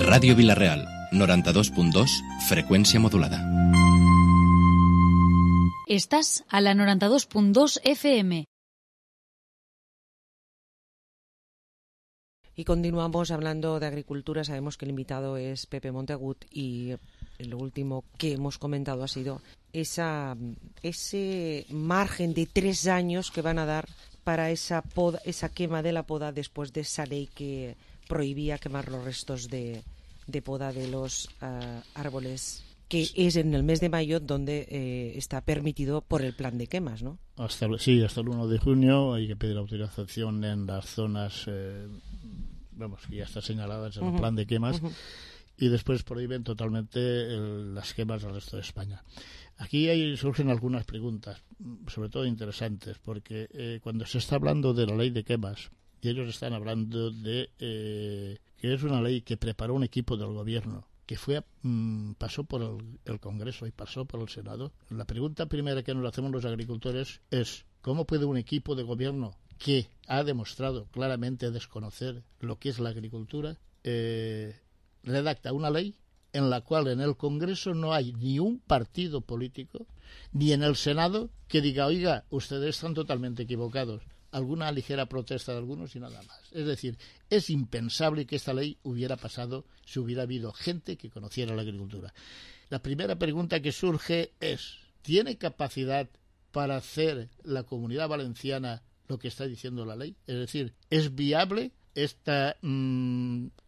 Ràdio Vila-real, 92.2, freqüència modulada. Estás a la 92.2 FM. Y continuamos hablando de agricultura. Sabemos que el invitado es Pepe Montagut y lo último que hemos comentado ha sido ese margen de 3 años que van a dar para esa quema de la poda después de esa ley que prohibía quemar los restos de poda de los árboles, que es en el mes de mayo donde está permitido por el plan de quemas, ¿no? Hasta el 1 de junio hay que pedir autorización en las zonas que ya están señaladas en el plan de quemas, y después prohíben totalmente las quemas al resto de España. Aquí surgen algunas preguntas, sobre todo interesantes, porque cuando se está hablando de la ley de quemas, y ellos están hablando de que es una ley que preparó un equipo del gobierno, que pasó por el Congreso y pasó por el Senado. La pregunta primera que nos hacemos los agricultores es: ¿cómo puede un equipo de gobierno que ha demostrado claramente desconocer lo que es la agricultura redacta una ley en la cual en el Congreso no hay ni un partido político, ni en el Senado que diga, oiga, ustedes están totalmente equivocados? Alguna ligera protesta de algunos y nada más. Es decir, es impensable que esta ley hubiera pasado si hubiera habido gente que conociera la agricultura. La primera pregunta que surge es: ¿tiene capacidad para hacer la Comunidad Valenciana lo que está diciendo la ley? Es decir, ¿es viable esta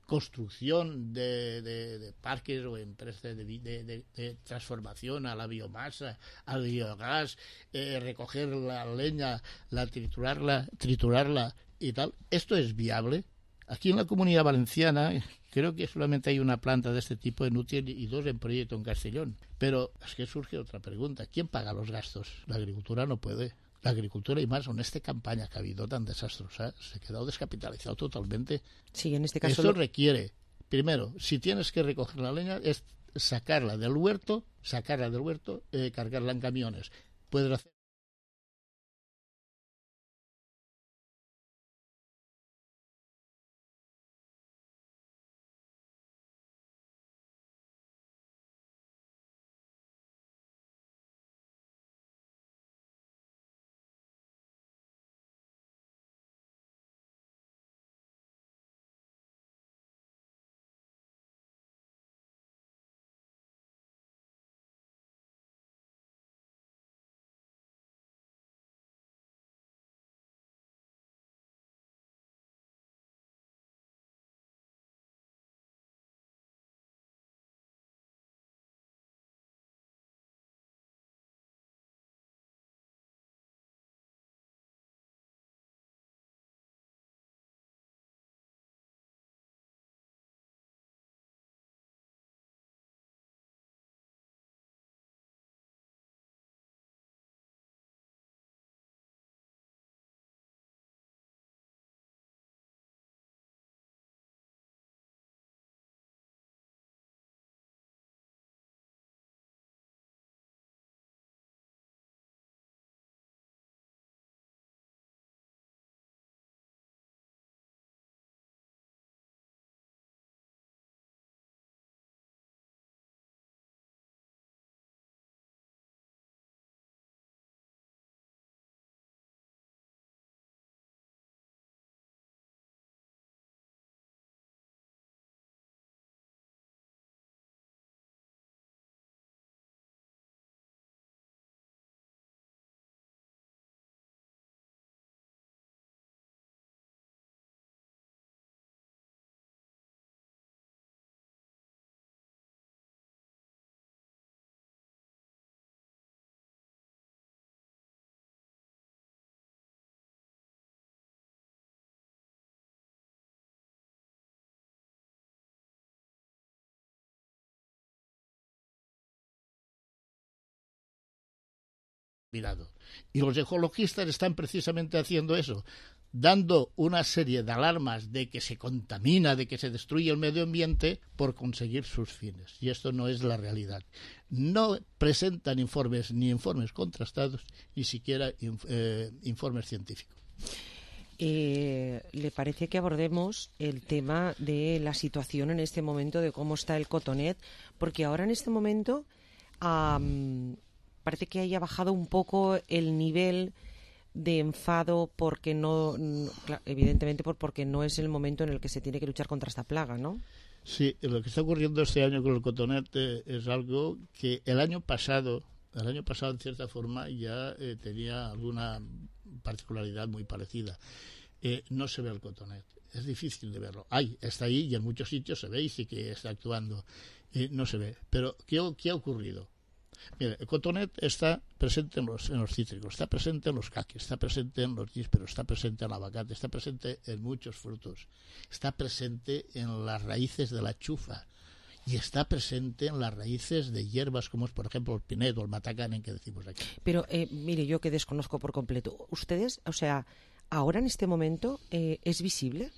construcción de parques o empresas de transformación a la biomasa, al biogás, recoger la leña, triturarla y tal? ¿Esto es viable? Aquí en la Comunidad Valenciana creo que solamente hay una planta de este tipo en Utiel y 2 en proyecto en Castellón. Pero es que surge otra pregunta: ¿quién paga los gastos? La agricultura no puede. La agricultura, y más en esta campaña que ha habido tan desastrosa, se ha quedado descapitalizado totalmente. Sí, en este caso eso requiere, primero, si tienes que recoger la leña, es sacarla del huerto, cargarla en camiones. Puedes hacer mirado. Y los ecologistas están precisamente haciendo eso, dando una serie de alarmas de que se contamina, de que se destruye el medio ambiente por conseguir sus fines. Y esto no es la realidad. No presentan informes, ni informes contrastados, ni siquiera informes científicos. ¿Le parece que abordemos el tema de la situación en este momento, de cómo está el cotonet? Porque ahora en este momento parece que haya bajado un poco el nivel de enfado porque evidentemente porque no es el momento en el que se tiene que luchar contra esta plaga, ¿no? Sí, lo que está ocurriendo este año con el cotonet es algo que el año pasado en cierta forma ya tenía alguna particularidad muy parecida. No se ve el cotonet, es difícil de verlo. Está ahí y en muchos sitios se ve y sí que está actuando. No se ve. Pero ¿qué ha ocurrido? Mira, el cotonet está presente en los cítricos, está presente en los caquis, está presente en los nísperos, está presente en el aguacate, está presente en muchos frutos, está presente en las raíces de la chufa y está presente en las raíces de hierbas como es, por ejemplo, el pinedo, el matacanen que decimos aquí. Pero, mire, yo que desconozco por completo, ¿ustedes, o sea, ahora en este momento es visible?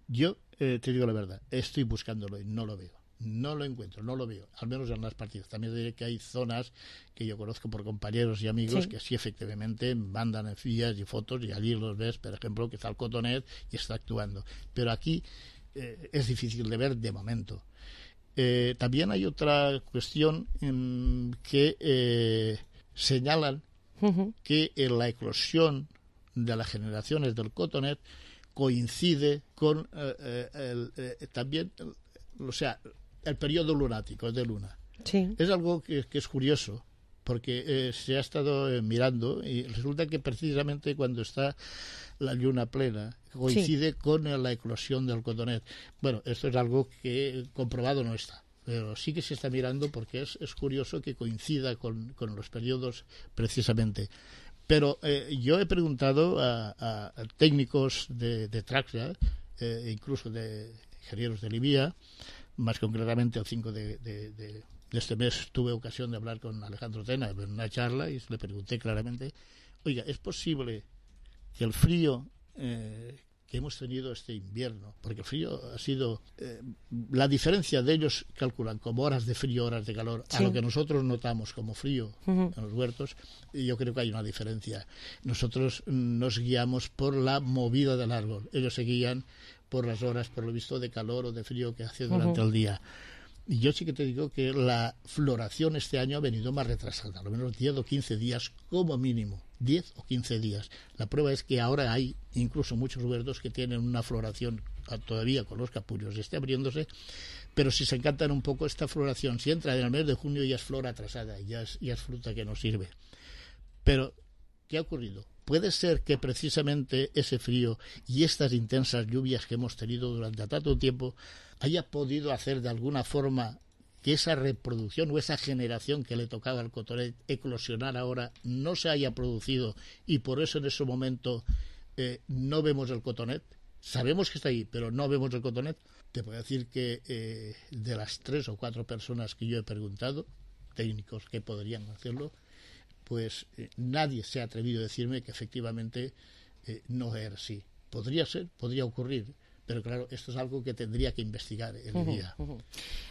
Yo te digo la verdad, estoy buscándolo y no lo veo. No lo encuentro, no lo veo, al menos en las partidas. También diré que hay zonas que yo conozco por compañeros y amigos que sí efectivamente mandan en fillas y fotos y allí los ves, por ejemplo, que está el cotonet y está actuando. Pero aquí es difícil de ver de momento. También hay otra cuestión que señalan que la eclosión de las generaciones del cotonet coincide con también, o sea, el periodo lunático de luna. Sí. Es algo que es curioso, porque se ha estado mirando y resulta que precisamente cuando está la luna plena coincide con la eclosión del cotonet. Bueno, esto es algo que comprobado no está, pero sí que se está mirando porque es curioso que coincida con los periodos precisamente. Pero yo he preguntado a técnicos de Traxia, incluso de ingenieros de Libia, más concretamente el 5 de este mes tuve ocasión de hablar con Alejandro Tena en una charla y le pregunté claramente, oiga, ¿es posible que el frío que hemos tenido este invierno, porque el frío ha sido la diferencia de ellos calculan como horas de frío, horas de calor, a lo que nosotros notamos como frío en los huertos, y yo creo que hay una diferencia. Nosotros nos guiamos por la movida del árbol, ellos se guían por las horas, por lo visto, de calor o de frío que hace durante el día. Y yo sí que te digo que la floración este año ha venido más retrasada, a lo menos 10 o 15 días como mínimo, 10 o 15 días. La prueba es que ahora hay incluso muchos huertos que tienen una floración todavía con los capullos, esté abriéndose, pero si se encantan un poco esta floración, si entra en el mes de junio ya es flor atrasada, ya es fruta que no sirve. Pero, ¿qué ha ocurrido? Puede ser que precisamente ese frío y estas intensas lluvias que hemos tenido durante tanto tiempo haya podido hacer de alguna forma que esa reproducción o esa generación que le tocaba al cotonet eclosionar ahora no se haya producido y por eso en ese momento no vemos el cotonet. Sabemos que está ahí, pero no vemos el cotonet. Te puedo decir que de las 3 o 4 personas que yo he preguntado, técnicos que podrían hacerlo, pues nadie se ha atrevido a decirme que efectivamente no es así. Podría ser, podría ocurrir, pero claro, esto es algo que tendría que investigar el día.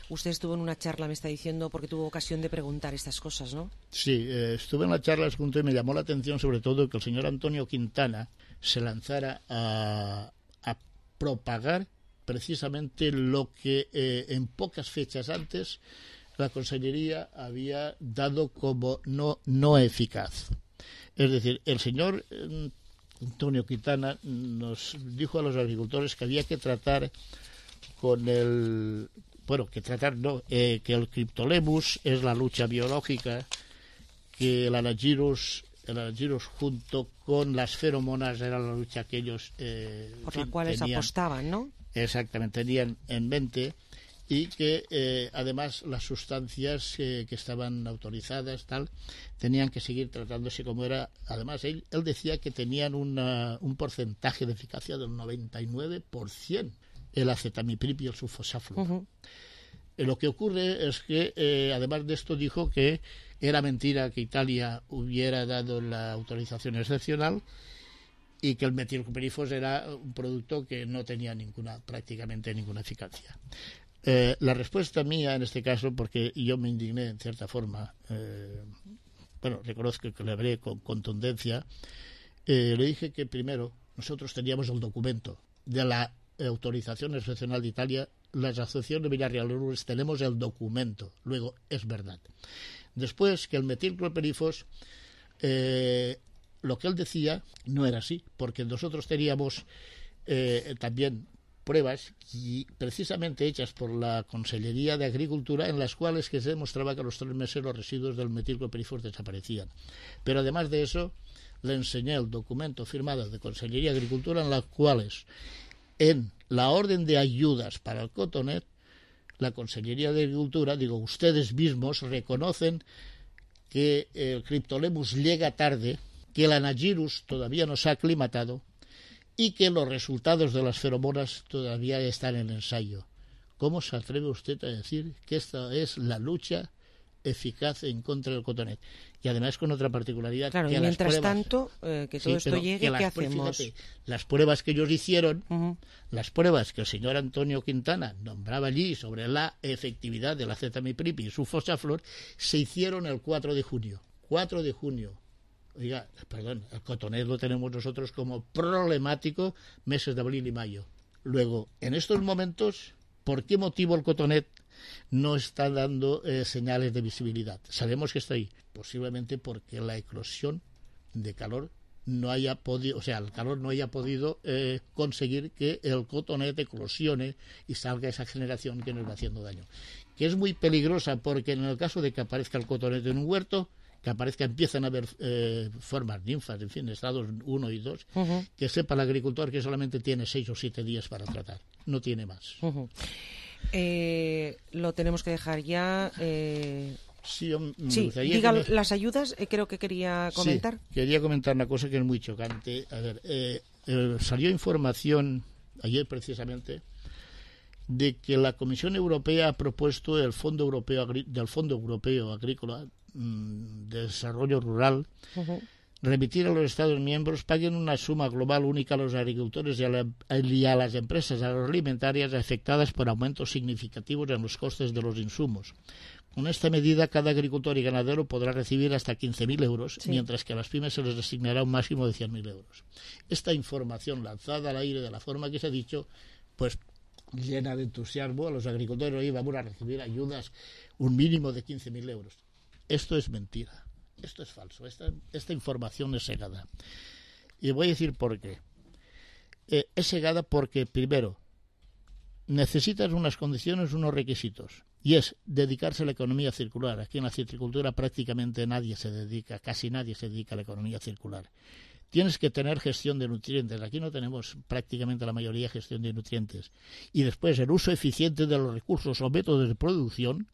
Usted estuvo en una charla, me está diciendo, porque tuvo ocasión de preguntar estas cosas, ¿no? Sí, estuve en la charla y me llamó la atención sobre todo que el señor Antonio Quintana se lanzara a propagar precisamente lo que en pocas fechas antes la Consellería había dado como no eficaz. Es decir, el señor Antonio Quintana nos dijo a los agricultores que había que tratar con el... Bueno, que el Cryptolemus es la lucha biológica, que el Anagyrus junto con las feromonas era la lucha que ellos... por la cual apostaban, ¿no? Exactamente, tenían en mente... y que además las sustancias que estaban autorizadas tenían que seguir tratándose como era. Además él decía que tenían un porcentaje de eficacia del 99%, el acetamiprid y el sulfosaflor. Lo que ocurre es que además de esto dijo que era mentira que Italia hubiera dado la autorización excepcional y que el metilcoperifos era un producto que no tenía prácticamente ninguna eficacia. La respuesta mía en este caso, porque yo me indigné en cierta forma, reconozco que le hablé con contundencia, le dije que primero nosotros teníamos el documento de la autorización excepcional de Italia, las asociaciones de Villarreal tenemos el documento, luego es verdad. Después que el metilclorpirifos, lo que él decía no era así, porque nosotros teníamos también pruebas y precisamente hechas por la Consellería de Agricultura, en las cuales que se demostraba que a los 3 meses los residuos del metilclorpirifos desaparecían. Pero además de eso, le enseñé el documento firmado de Consellería de Agricultura, en las cuales en la orden de ayudas para el cotonet, la Consellería de Agricultura, ustedes mismos reconocen que el Cryptolemus llega tarde, que el Anagyrus todavía no se ha aclimatado y que los resultados de las feromonas todavía están en ensayo. ¿Cómo se atreve usted a decir que esta es la lucha eficaz en contra del cotonet? Y además con otra particularidad. Claro, que y mientras pruebas, tanto, que todo esto llegue, ¿qué hacemos? Fíjate, las pruebas que ellos hicieron, las pruebas que el señor Antonio Quintana nombraba allí sobre la efectividad de la azatamiprip y su fosaflor, se hicieron el 4 de junio. 4 de junio. Oiga, perdón, el cotonet lo tenemos nosotros como problemático meses de abril y mayo. Luego, en estos momentos, ¿por qué motivo el cotonet no está dando señales de visibilidad? Sabemos que está ahí, posiblemente porque la eclosión de calor no haya podido, el calor no haya podido conseguir que el cotonet eclosione y salga esa generación que nos va haciendo daño. Que es muy peligrosa, porque en el caso de que aparezca el cotonet en un huerto, empiezan a haber formas ninfas, en fin, estados 1 y 2, que sepa el agricultor que solamente tiene 6 o 7 días para tratar, no tiene más. Lo tenemos que dejar ya. Sí, diga las ayudas, creo que quería comentar. Sí, quería comentar una cosa que es muy chocante. A ver, salió información ayer precisamente de que la Comisión Europea ha propuesto del Fondo Europeo Agrícola de Desarrollo Rural remitir a los Estados miembros paguen una suma global única a los agricultores y a las empresas agroalimentarias afectadas por aumentos significativos en los costes de los insumos. Con esta medida, cada agricultor y ganadero podrá recibir hasta 15.000 euros, mientras que a las pymes se les asignará un máximo de 100.000 euros. Esta información lanzada al aire de la forma que se ha dicho, pues llena de entusiasmo a los agricultores. Hoy vamos a recibir ayudas, un mínimo de 15.000 euros. Esto es mentira, esto es falso, esta información es cegada. Y voy a decir por qué. Es cegada porque, primero, necesitas unas condiciones, unos requisitos, y es dedicarse a la economía circular. Aquí en la citricultura prácticamente casi nadie se dedica a la economía circular. Tienes que tener gestión de nutrientes. Aquí no tenemos prácticamente la mayoría gestión de nutrientes. Y después el uso eficiente de los recursos o métodos de producción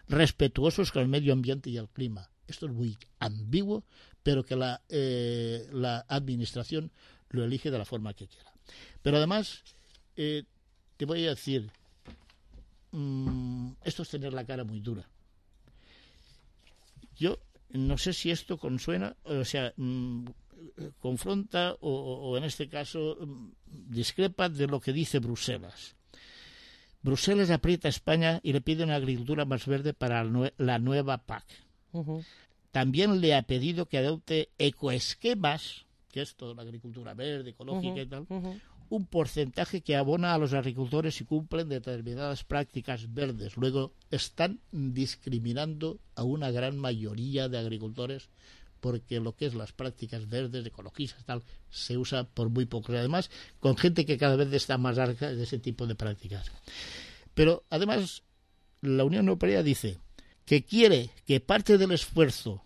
respetuosos con el medio ambiente y el clima. Esto es muy ambiguo, pero que la administración lo elige de la forma que quiera. Pero además, te voy a decir, esto es tener la cara muy dura. Yo no sé si esto confronta o en este caso discrepa de lo que dice Bruselas. Bruselas aprieta a España y le pide una agricultura más verde para la nueva PAC. También le ha pedido que adopte ecoesquemas, que es toda la agricultura verde, ecológica y tal, un porcentaje que abona a los agricultores si cumplen determinadas prácticas verdes. Luego están discriminando a una gran mayoría de agricultores, porque lo que es las prácticas verdes, ecologistas, tal, se usa por muy poco. Además, con gente que cada vez está más harta de ese tipo de prácticas. Pero además, la Unión Europea dice que quiere que parte del esfuerzo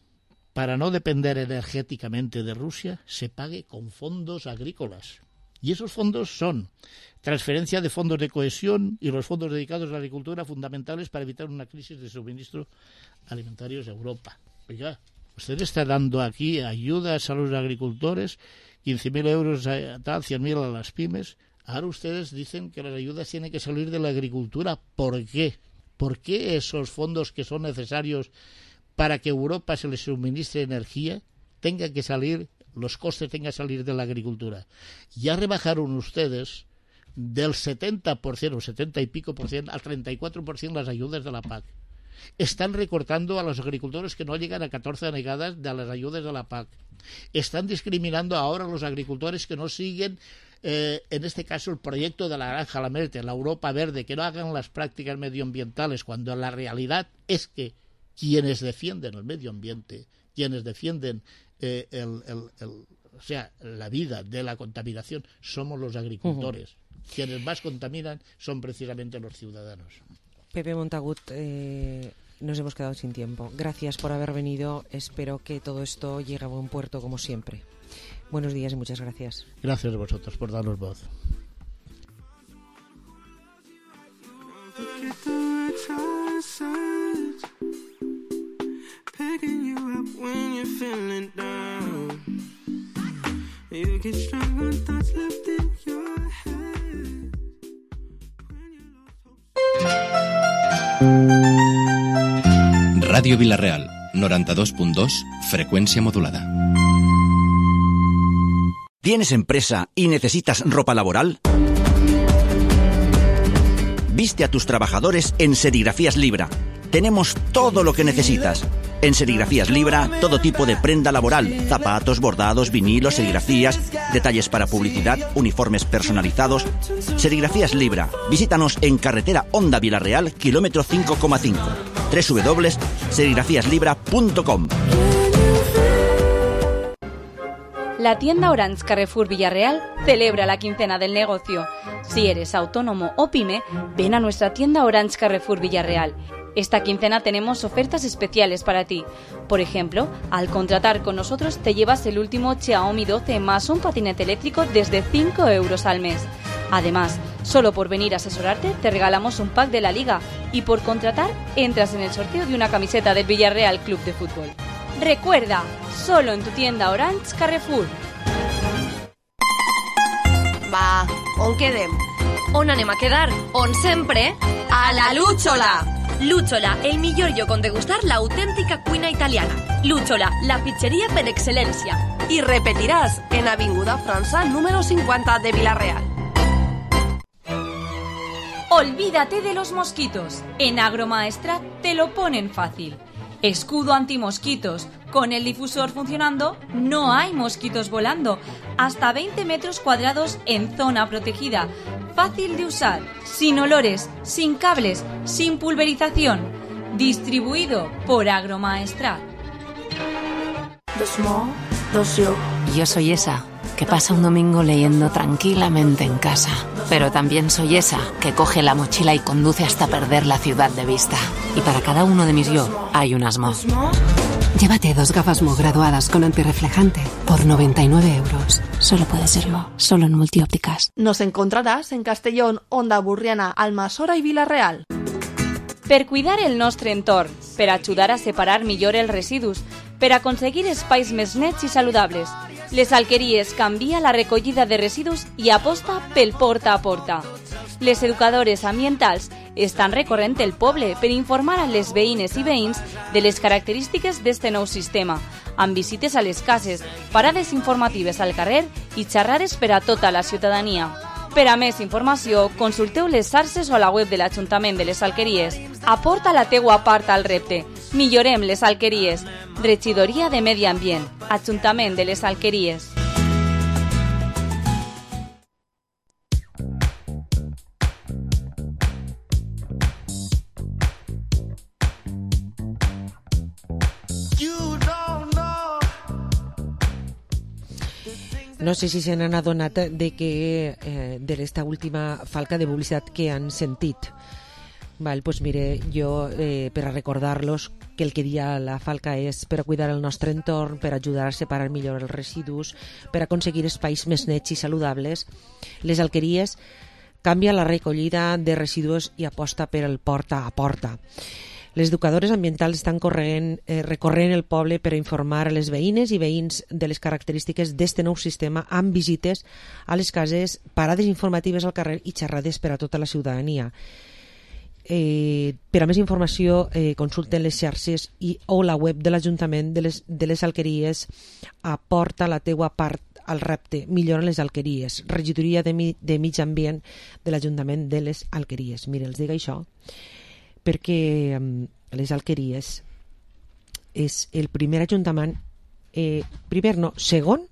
para no depender energéticamente de Rusia se pague con fondos agrícolas. Y esos fondos son transferencia de fondos de cohesión y los fondos dedicados a la agricultura, fundamentales para evitar una crisis de suministro alimentarios a Europa. Oiga, usted está dando aquí ayudas a los agricultores, 15.000 euros a tal, 100.000 a las pymes. Ahora ustedes dicen que las ayudas tienen que salir de la agricultura. ¿Por qué? ¿Por qué esos fondos que son necesarios para que Europa se les suministre energía tengan que salir, los costes tengan que salir de la agricultura? Ya rebajaron ustedes del 70% o 70 y pico por ciento al 34% las ayudas de la PAC. Están recortando a los agricultores que no llegan a 14 denegadas de las ayudas de la PAC. Están discriminando ahora a los agricultores que no siguen, en este caso, el proyecto de la Granja La Merte, la Europa Verde, que no hagan las prácticas medioambientales, cuando la realidad es que quienes defienden el medio ambiente, quienes defienden la vida de la contaminación, somos los agricultores. Quienes más contaminan son precisamente los ciudadanos. Pepe Montagut, nos hemos quedado sin tiempo. Gracias por haber venido. Espero que todo esto llegue a buen puerto como siempre. Buenos días y muchas gracias. Gracias a vosotros por darnos voz. Radio Vila-real, 92.2, frecuencia modulada. ¿Tienes empresa y necesitas ropa laboral? Viste a tus trabajadores en Serigrafías Libra. Tenemos todo lo que necesitas. En Serigrafías Libra, todo tipo de prenda laboral, zapatos, bordados, vinilos, serigrafías, detalles para publicidad, uniformes personalizados. Serigrafías Libra. Visítanos en carretera Honda Vila-real, kilómetro 5,5. www.serigrafiaslibra.com. La tienda Orange Carrefour Villarreal celebra la quincena del negocio. Si eres autónomo o pyme, ven a nuestra tienda Orange Carrefour Villarreal. Esta quincena tenemos ofertas especiales para ti. Por ejemplo, al contratar con nosotros te llevas el último Xiaomi 12 más un patinete eléctrico desde 5 euros al mes. Además, solo por venir a asesorarte te regalamos un pack de la Liga y por contratar entras en el sorteo de una camiseta del Villarreal Club de Fútbol. Recuerda, solo en tu tienda Orange Carrefour. Va, on quedem? On anem a quedar? On sempre? A la Lúchola! Lúchola, el millor lloc on degustar l'autèntica cuina italiana. Lúchola, la pizzeria per excel·lència. I repetiràs en Avinguda França, número 50 de Vila-real. Olvídate de los mosquitos. En Agromaestrat te lo ponen fácil. Escudo antimosquitos. Con el difusor funcionando, no hay mosquitos volando. Hasta 20 metros cuadrados en zona protegida. Fácil de usar, sin olores, sin cables, sin pulverización. Distribuido por Agromaestrat. Dos mo, dos yo. Yo soy esa que pasa un domingo leyendo tranquilamente en casa. Pero también soy esa que coge la mochila y conduce hasta perder la ciudad de vista. Y para cada uno de mis yo hay unas mo. Llévate 2 gafas Mo graduadas con antirreflejante por 99 euros. Solo puede ser Mo, solo en Multiópticas. Nos encontrarás en Castellón, Onda Burriana, Almassora i Vila-real. Per cuidar el nostre entorn, per ajudar a separar millor els residus, per aconseguir espais més nets i saludables, Les Alqueries canvia la recollida de residus i aposta pel porta a porta. Les educadores ambientals estan recorrent el poble per informar a les veïnes i veïns de les característiques d'este nou sistema, amb visites a les cases, parades informatives al carrer i xerrades per a tota la ciutadania. Per a més informació, consulteu les xarxes o la web de l'Ajuntament de les Alqueries. Aporta la teua part al repte. Millorem les Alqueries. Regidoria de Medi Ambient. Ajuntament de les Alqueries. No sé si se n'han adonat de que de esta última falca de publicitat que han sentit. Val, pues mire, jo per a recordar-los que el que dia la falca és per a cuidar el nostre entorn, per a ajudar a separar millor els residus, per a aconseguir espais més nets i saludables. Les Alqueries canvia la recollida de residus i aposta per el porta a porta. Les educadores ambientals estan recorrent el poble per a informar a les veïnes i veïns de les característiques d'este nou sistema amb visites a les cases, parades informatives al carrer i xerrades per a tota la ciutadania. Per a més informació consulten les xarxes o la web de l'Ajuntament de les Alqueries. Aporta la teua part al repte, millora les Alqueries, regidoria de Mig Ambient de l'Ajuntament de les Alqueries. Mira, els dic això perquè les Alqueries és el primer ajuntament, segon,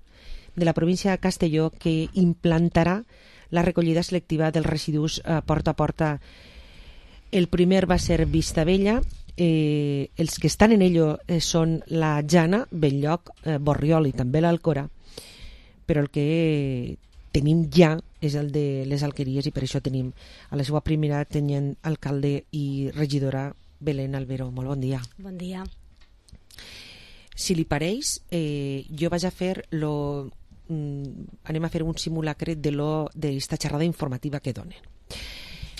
de la província de Castelló que implantarà la recollida selectiva dels residus porta a porta. El primer va ser Vistabella, els que estan en ello són la Jana, Belllloc, Borriol i també l'Alcora, però el que tenim ja és el de les Alqueries i per això tenim a la seva primera tenint alcalde i regidora Belén Albero. Molt bon dia. Bon dia. Si li pareix, jo vaig a fer anem a fer un simulacre d'esta xerrada informativa que donen.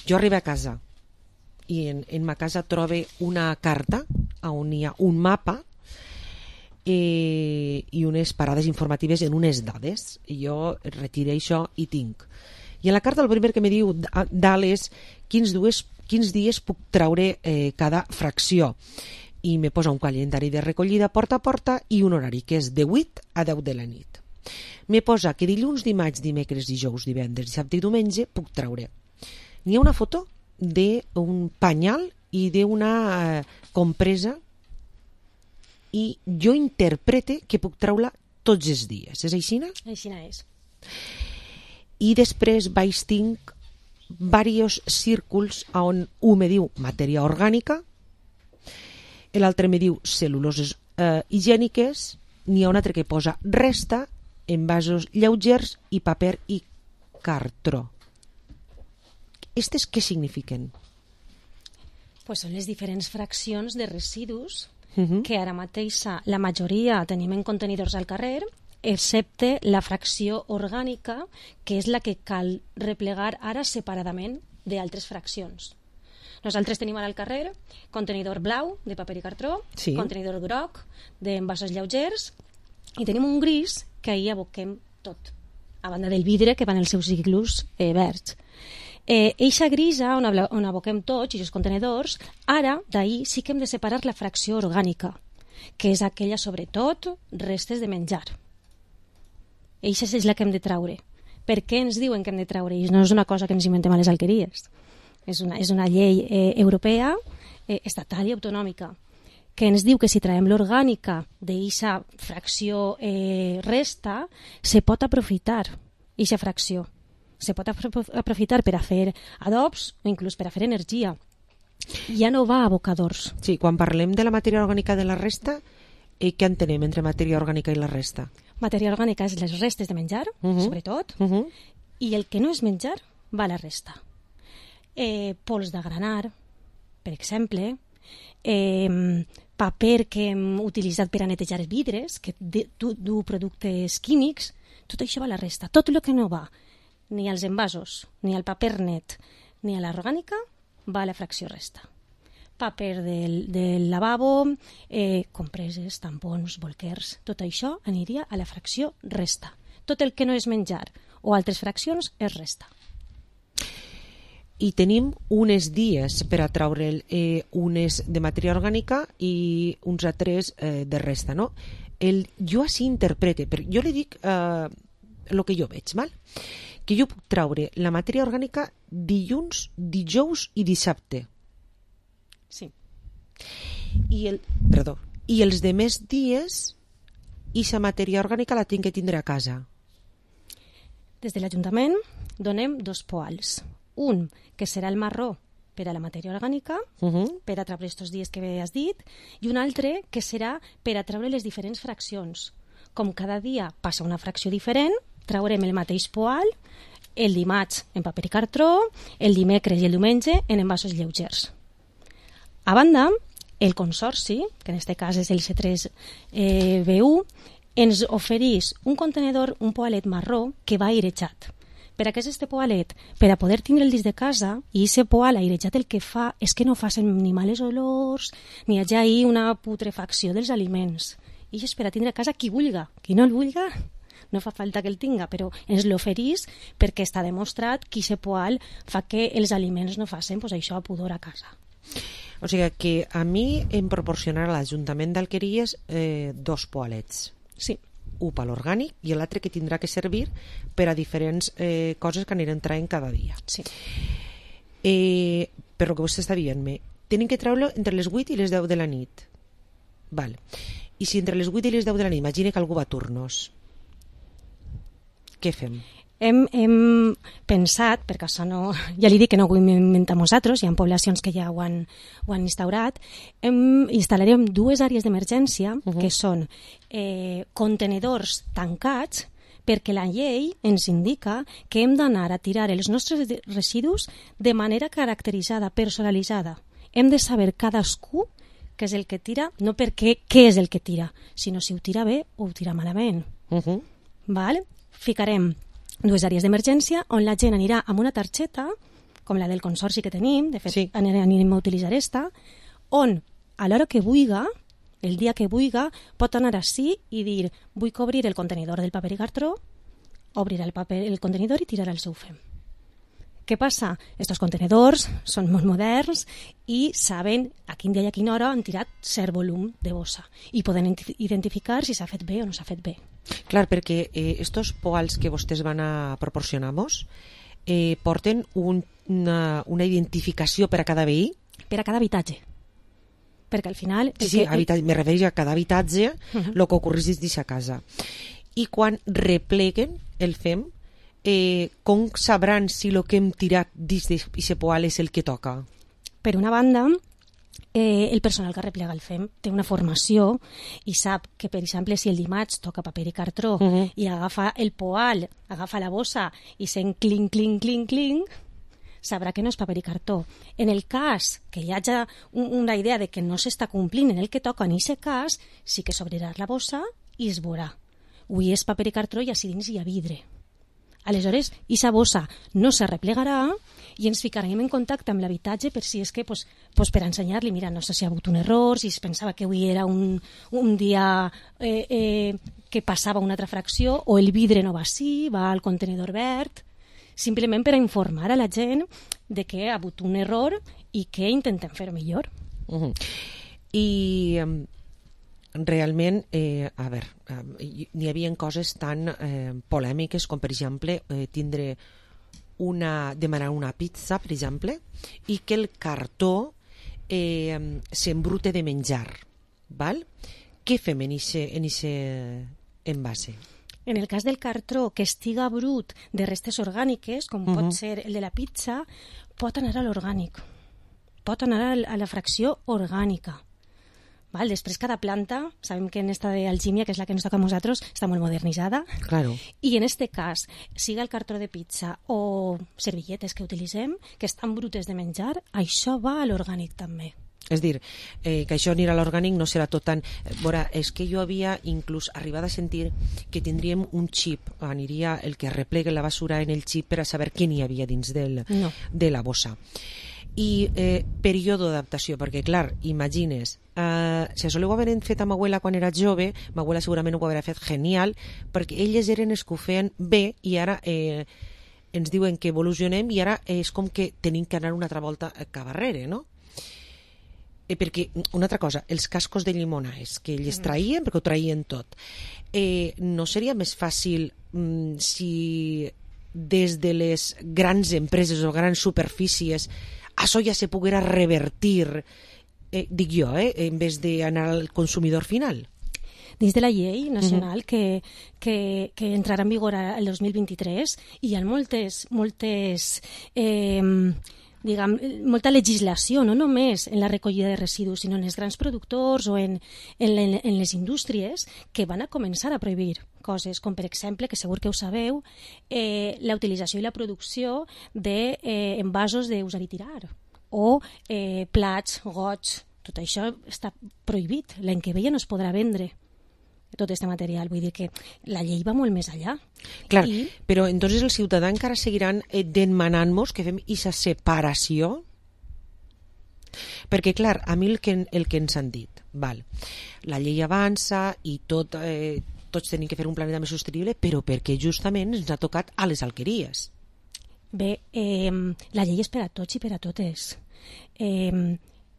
Jo arribo a casa i en ma casa trobe una carta on hi ha un mapa i unes parades informatives en unes dades. Jo retiré això i tinc. I en la carta el primer que me diu dalt és quins dies puc treure cada fracció. I me posa un calendari de recollida porta a porta i un horari que és de 8 a 10 de la nit. Me posa que dilluns, dimarts, dimecres, dijous, divendres, dissabte i diumenge puc treure. N'hi ha una foto d'un panyal i d'una compresa i jo interprete que puc treure tots els dies. És aixina? Aixina és. I després tinc diversos círculs on un me diu matèria orgànica, l'altre me diu cèl·luloses higièniques, n'hi ha un altre que posa resta, envasos lleugers i paper i cartró. Estes què signifiquen? Pues són les diferents fraccions de residus que ara mateix la majoria tenim en contenidors al carrer, excepte la fracció orgànica, que és la que cal replegar ara separadament d'altres fraccions. Nosaltres tenim ara al carrer contenidor blau de paper i cartró, sí, contenidor groc d'envasos lleugers i tenim un gris que ahir aboquem tot, a banda del vidre que van els seus ciclos verds. Eixa grisa on aboquem tots i els contenidors, ara d'ahir sí que hem de separar la fracció orgànica, que és aquella sobretot restes de menjar. Eixa és la que hem de traure. Per què ens diuen que hem de traure? I no és una cosa que ens inventem a les Alqueries. És una llei europea, estatal i autonòmica, que ens diu que si traiem l'orgànica d'eixa fracció resta, se pot aprofitar eixa fracció. Se pot aprofitar per a fer adobs o inclús per a fer energia. Ja no va a abocadors. Sí, quan parlem de la matèria orgànica de la resta, què entenem entre matèria orgànica i la resta? Matèria orgànica és les restes de menjar, sobretot, i el que no és menjar va a la resta. Pols de granar, per exemple, paper que hem utilitzat per a netejar vidres, que du productes químics, tot això va a la resta. Tot el que no va ni als envasos, ni al paper net, ni a l'orgànica, va a la fracció resta. Paper del lavabo, compreses, tampons, bolquers, tot això aniria a la fracció resta. Tot el que no és menjar o altres fraccions és resta. I tenim uns dies per a treure unes de matèria orgànica i uns altres de resta, no? Jo així interprete, jo li dic el que jo veig, val? Que jo puc treure la matèria orgànica dilluns, dijous i dissabte. Sí. I els demés dies, aquesta matèria orgànica la tinc que tindre a casa. Des de l'Ajuntament donem 2 poals. Un, que serà el marró per a la matèria orgànica, per a treure aquests dies que has dit, i un altre que serà per a treure les diferents fraccions. Com cada dia passa una fracció diferent, traurem el mateix poal el dimarts en paper i cartró, el dimecres i el diumenge en envasos lleugers. A banda, el consorci, que en aquest cas és el C3BU, ens ofereix un contenedor, un poalet marró que va airejat. Per a què és este poalet? Per a poder tindre el dins de casa, i aquest poal airejat el que fa és que no facin ni males olors, ni hi hagi una putrefacció dels aliments. I és per a tindre a casa qui vulga. Qui no el vulga, no fa falta que el tinga, però ens l'oferís perquè està demostrat que aquest poal fa que els aliments no facin això a pudor a casa. O sigui que a mi em proporcionarà l'Ajuntament d'Alqueries 2 poalets. Sí. Un per l'orgànic i l'altre que tindrà que servir per a diferents coses que aniran traient cada dia. Sí. Per el que vostè està dient-me, tenen que treure-lo entre les 8 i les 10 de la nit. Val. I si entre les 8 i les 10 de la nit imagina que algú va a turnos, què fem? Hem pensat, perquè això no, ja li dic que no ho hem inventat nosaltres, hi ha poblacions que ja ho han instaurat, instal·larem 2 àrees d'emergència, que són contenedors tancats, perquè la llei ens indica que hem d'anar a tirar els nostres residus de manera caracteritzada, personalitzada. Hem de saber cadascú què és el que tira, no perquè què és el que tira, sinó si ho tira bé o ho tira malament. Val? Ficarem 2 àrees d'emergència on la gent anirà amb una targeta, com la del consorci que tenim, de fet anirem a utilitzar esta, on a l'hora que vulga, el dia que vulga, pot anar així i dir vull cobrir el contenidor del paper i cartró, obrirà el contenidor i tirarà el seu fem. Què passa? Estos contenidors són molt moderns i saben a quin dia i a quina hora han tirat cert volum de bossa i poden identificar si s'ha fet bé o no s'ha fet bé. Clar, perquè estos poals que vostès van a proporcionar-nos porten una identificació per a cada veí? Per a cada habitatge. Perquè al final... Sí, me refereixo a cada habitatge el que ocorreix dins a casa. I quan repleguen el fem, com sabran si el que hem tirat dins d'aquest poal és el que toca? Per una banda, el personal que replega el fem té una formació i sap que, per exemple, si el dimarts toca paper i cartró i agafa el poal, agafa la bossa i sent clinc, clinc, clinc, clinc, sabrà que no és paper i cartó. En el cas que hi hagi una idea de que no s'està complint en el que toca en aquest cas, sí que s'obrirà la bossa i es veurà. Avui és paper i cartró i així dins hi ha vidre. Aleshores, aquesta bossa no se replegarà i ens ficarem en contacte amb l'habitatge per si és que, per ensenyar-li, mira, no sé si ha hagut un error, si es pensava que avui era un dia que passava una altra fracció, o el vidre no va així, va al contenidor verd, simplement per a informar a la gent de que ha hagut un error i que intentem fer-ho millor. I realment, a veure, n'hi havia coses tan polèmiques com, per exemple, demanar una pizza, per exemple, i que el cartó s'embrute de menjar. Val? Què fem en aquest envase? En el cas del cartró que estiga brut de restes orgàniques, com pot ser el de la pizza, pot anar a l'orgànic. Pot anar a la fracció orgànica. Val? Després, cada planta, sabem que en esta d'algímia, que és la que ens toca a nosaltres, està molt modernitzada. Claro. I en este cas, siga el cartró de pizza o servilletes que utilitzem, que estan brutes de menjar, això va a l'orgànic també. És dir, que això anirà a l'orgànic no serà tot tan... Veure, és que jo havia inclús arribat a sentir que tindríem un xip, aniria el que replega la basura en el xip per a saber què n'hi havia dins de la bossa. I període d'adaptació, perquè clar, imagines, si això ho havien fet amb abuela quan era jove, m'abuela segurament ho hauria fet genial, perquè elles eren els que ho feien bé i ara ens diuen que evolucionem i ara és com que tenim que anar una altra volta cap arrere, no? Perquè, una altra cosa, els cascos de llimones que ells traien, perquè ho traien tot, no seria més fàcil si des de les grans empreses o grans superfícies això ja se poguera revertir, dic jo, en vez d'anar al consumidor final? Dins de la llei nacional que entrarà en vigor el 2023 hi ha molta legislació, no només en la recollida de residus, sinó en els grans productors o en les indústries que van a començar a prohibir coses, com per exemple, que segur que ho sabeu, la utilització i la producció d'envasos d'usar i tirar, o plats, gots, tot això està prohibit. L'any que ve ja no es podrà vendre tot aquest material, vull dir que la llei va molt més allà. Clar, però entonces els ciutadans encara seguiran demanant-nos que fem aquesta separació? Perquè, clar, a mi el que ens han dit, val, la llei avança i tots tenim que fer un planeta més sostenible, però perquè justament ens ha tocat a les alqueries. Bé, la llei és per a tots i per a totes.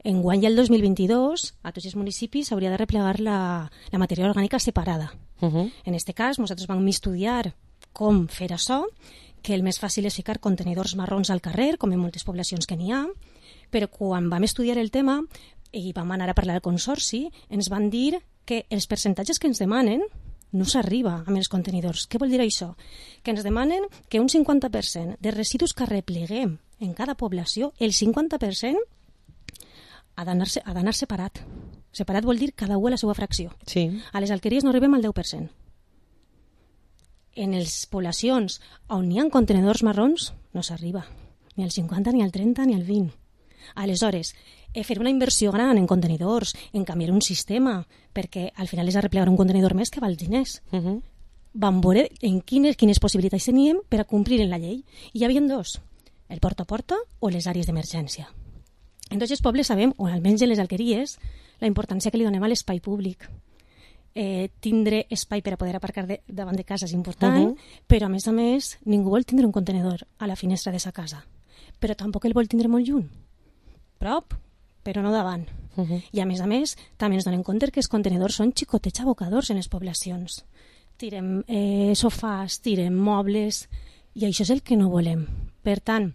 Enguany, el 2022, a tots els municipis s'hauria de replegar la matèria orgànica separada. En aquest cas, nosaltres vam estudiar com fer això, que el més fàcil és ficar contenidors marrons al carrer, com en moltes poblacions que n'hi ha, Però quan vam estudiar el tema i vam anar a parlar al consorci, ens van dir que els percentatges que ens demanen no s'arriba amb els contenidors. Què vol dir això? Que ens demanen que un 50% de residus que repleguem en cada població, el 50% ha d'anar separat. Separat vol dir cada un a la seva fracció. Sí. A les alqueries no arribem al 10%. En les poblacions on hi ha contenidors marrons no s'arriba. Ni al 50, ni al 30, ni al 20. Aleshores, fer una inversió gran en contenidors, en canviar un sistema, perquè al final és arreplegar un contenidor més que val diners. Vam veure en quines possibilitats teníem per a complir en la llei. I hi havia dos, el porta a porta o les àrees d'emergència. En tots els pobles sabem, o almenys en les alqueries, la importància que li donem a l'espai públic. Tindre espai per a poder aparcar davant de casa és important, però a més ningú vol tindre un contenidor a la finestra de sa casa, però tampoc el vol tindre molt lluny. Prop, però no davant. I a més, també ens donem compte que els contenidors són xicotets abocadors en les poblacions. Tirem sofàs, tirem mobles, i això és el que no volem. Per tant,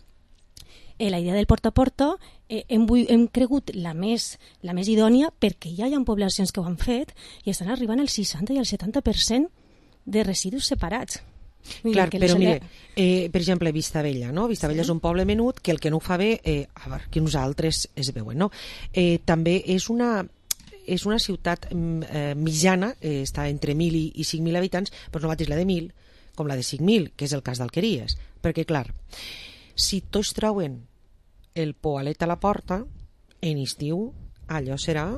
la idea del porta a porta hem cregut la més idònia perquè ja hi ha poblacions que ho han fet i estan arribant al 60 i al 70% de residus separats. Clar, però mire, per exemple, Vistabella, no? Vistabella és un poble menut que el que no ho fa bé, a veure, que nosaltres es veuen, no? També és una ciutat mitjana, està entre 1.000 i 5.000 habitants, però no mateix la de 1.000 com la de 5.000, que és el cas d'Alqueries. Perquè, clar, si tots trauen el poalet a la porta, en estiu allò serà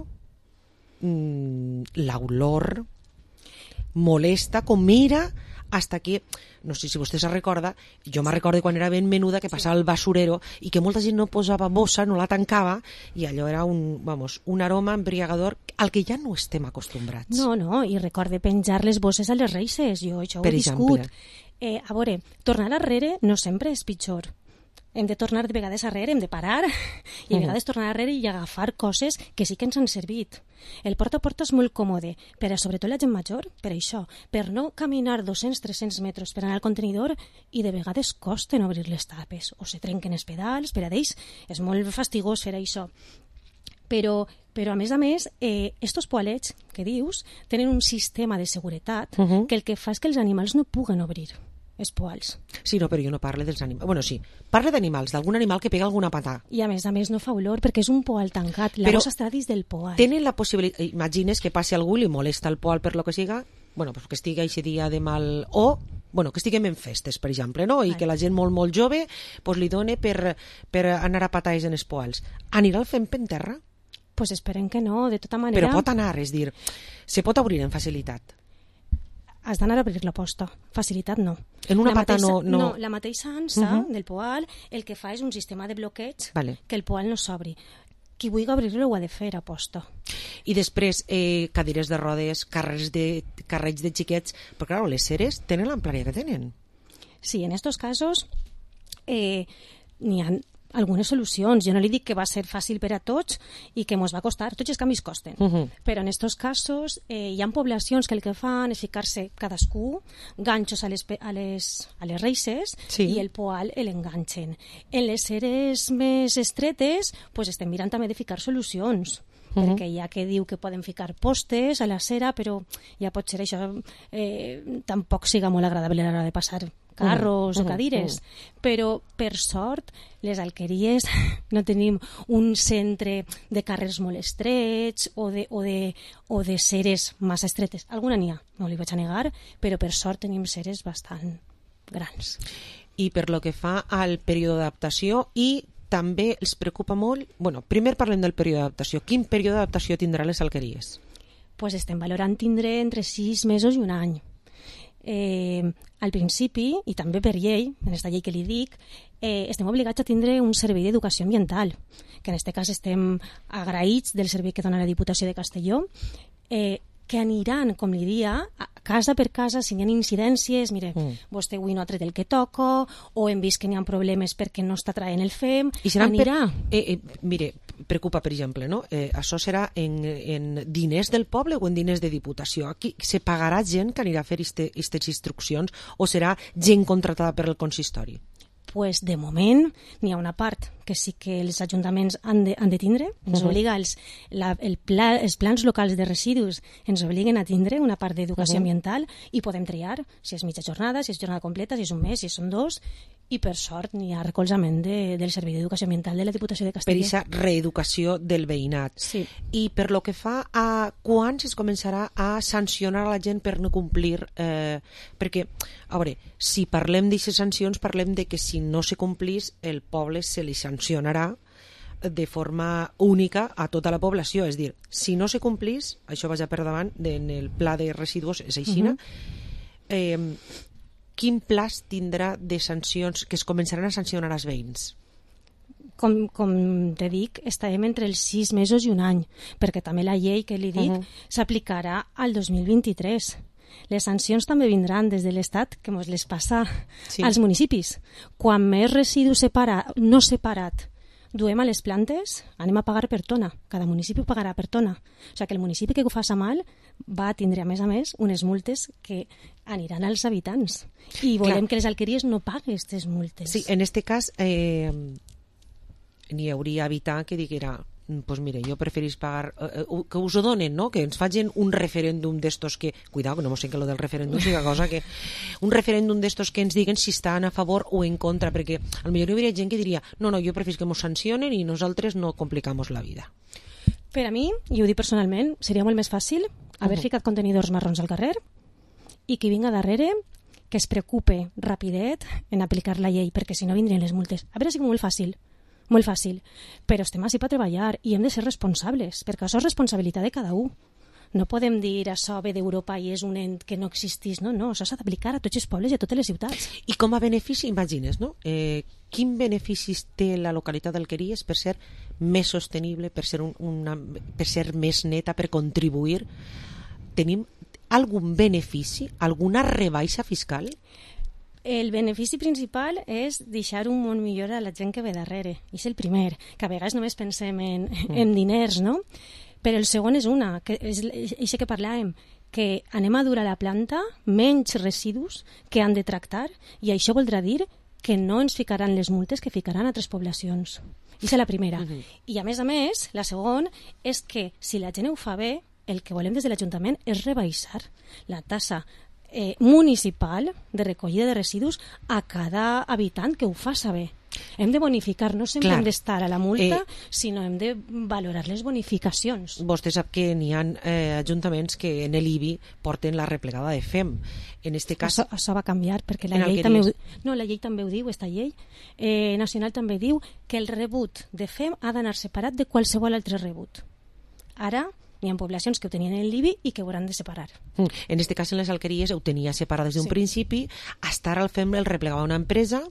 l'olor molesta, com mira, hasta que, no sé si vostè se recorda, jo me recordo quan era ben menuda que passava el basurero i que molta gent no posava bossa, no la tancava, i allò era un aroma embriagador al que ja no estem acostumbrats. No, i recorde penjar les bosses a les reixes, jo això ho he viscut. A veure, tornar arrere no sempre és pitjor. Hem de tornar de vegades arrere, hem de parar i a vegades tornar arrere i agafar coses que sí que ens han servit. El porta a porta és molt còmode, però sobretot la gent major, per això, per no caminar 200-300 metres per anar al contenidor i de vegades costen obrir les tapes o se trenquen els pedals, per a ells és molt fastigós fer això. Però a més, estos poalets que dius tenen un sistema de seguretat que el que fa és que els animals no puguen obrir els poals. Sí, no, però jo no parlo dels animals. Bueno, sí, parlo d'animals, d'algun animal que pega alguna patà. I a més no fa olor perquè és un poal tancat. La bossa està dins del poal. Tenen la possibilitat, imagines que passi algú i li molesta el poal per lo que siga, bueno, pues que estigui aquest dia de mal... O, bueno, que estiguem en festes, per exemple, no? I que la gent molt jove pues, li doni per anar a patades en els poals. Anirà el fent per terra? Pues esperem que no, de tota manera... Però pot anar, és dir, se pot obrir en facilitat. Has d'anar a obrir la posta. Facilitat no. En una pata no... No, la mateixa ansa del poal el que fa és un sistema de bloqueig que el poal no s'obri. Qui vulgui obrir-lo ho ha de fer a posta. I després, cadires de rodes, carrets de xiquets, però clar, les seres tenen l'amplària que tenen. Sí, en estos casos n'hi ha algunes solucions. Jo no li dic que va ser fàcil per a tots i que ens va costar. Tots els canvis costen. Però en aquests casos hi ha poblacions que el que fan és ficar-se cadascú ganxos a les reixes i el poal l'enganxen. En les seres més estretes estem mirant també de ficar solucions. Perquè hi ha que diu que poden ficar postes a la cera, però ja pot ser això tampoc siga molt agradable a l'hora de passar carros o cadires, però per sort les alqueries no tenim un centre de carrers molt estrets o de seres massa estretes. Alguna n'hi ha, no li vaig a negar, però per sort tenim seres bastant grans. I per lo que fa al període d'adaptació, i també els preocupa molt... Bueno, primer parlem del període d'adaptació. Quin període d'adaptació tindrà les alqueries? Pues estem valorant tindre entre 6 mesos i un any. Al principi, i també per llei, en aquesta llei que li dic, estem obligats a tindre un servei d'educació ambiental, que en aquest cas estem agraïts del servei que dona la Diputació de Castelló, que aniran, com li dia, casa per casa, si hi ha incidències, mire, vostè avui no ha tret el que toca, o hem vist que n'hi ha problemes perquè no està traient el FEM, anirà. Mire, preocupa, per exemple, no? Això serà en diners del poble o en diners de Diputació? Aquí se pagarà gent que anirà a fer aquestes instruccions o serà gent contratada per el consistori? Pues, de moment, n'hi ha una part que sí que els ajuntaments han de tindre. Ens obliga els plans locals de residus ens obliguen a tindre una part d'educació ambiental i podem triar si és mitja jornada, si és jornada completa, si és un mes, si són 2, i per sort n'hi ha recolzament del Servei d'Educació Ambiental de la Diputació de Castella. Per aquesta reeducació del veïnat. Sí. I per lo que fa a quan es començarà a sancionar a la gent per no complir, perquè, a veure, si parlem d'aquestes sancions, parlem de que si no se complís, el poble se li sancionarà de forma única a tota la població. És dir, si no se complís, això vaja per davant, en el pla de residus és aixina, quin pla tindrà de sancions que es començaran a sancionar als veïns? Com te dic, estarem entre els 6 mesos i un any, perquè també la llei que li dic s'aplicarà al 2023. Les sancions també vindran des de l'Estat, que ens les passa als municipis. Quan més residus no separat duem a les plantes, anem a pagar per tona. Cada municipi pagarà per tona. O sigui que el municipi que ho faci mal va tindre, a més, unes multes que aniran als habitants. I volem que les alqueries no paguen aquestes multes. Sí, en aquest cas n'hi hauria habitant que diguera pues mire, jo preferís pagar que us ho donen, no? Que ens facin un referèndum d'estos que, cuidado, que no mos sé que lo del referèndum siga cosa que un referèndum d'estos que ens diguen si estan a favor o en contra, perquè potser hi hauria gent que diria no, jo preferís que mos sancionen i nosaltres no complicamos la vida. Per a mi, i ho dic personalment, seria molt més fàcil haver ficat contenidors marrons al carrer i qui vinga darrere que es preocupe rapidet en aplicar la llei, perquè si no vindrien les multes. A veure, ha sigut molt fàcil, però estem així per treballar i hem de ser responsables, perquè això és responsabilitat de cada un. No podem dir això ve d'Europa i és un ent que no existís, no, això s'ha d'aplicar a tots els pobles i a totes les ciutats. I com a benefici, imagines, no? Quin beneficis té la localitat d'Alqueries per ser més sostenible, per ser més neta, per contribuir? Tenim algun benefici, alguna rebaixa fiscal? El benefici principal és deixar un món millor a la gent que ve darrere. És el primer, que a vegades només pensem en diners, no? Però el segon és que és això que parlàvem, que anem a dur a la planta menys residus que han de tractar, i això voldrà dir que no ens ficaran les multes que ficaran a altres poblacions. Aquesta és la primera. I a més, la segona és que si la gent ho fa bé, el que volem des de l'Ajuntament és rebaixar la tassa municipal de recollida de residus a cada habitant que ho fa saber. Hem de bonificar, no sempre hem d'estar a la multa, sinó hem de valorar les bonificacions. Vostè sap que n'hi ha ajuntaments que en l'IBI porten la replegada de FEM. En este cas... Això va canviar, perquè la llei també ho diu, aquesta llei nacional també diu que el rebut de FEM ha d'anar separat de qualsevol altre rebut. Ara n'hi ha poblacions que ho tenien en l'IBI i que ho hauran de separar. En aquest cas, en les alqueries ho tenia separat des d'un principi, hasta ara el FEM el replegava una empresa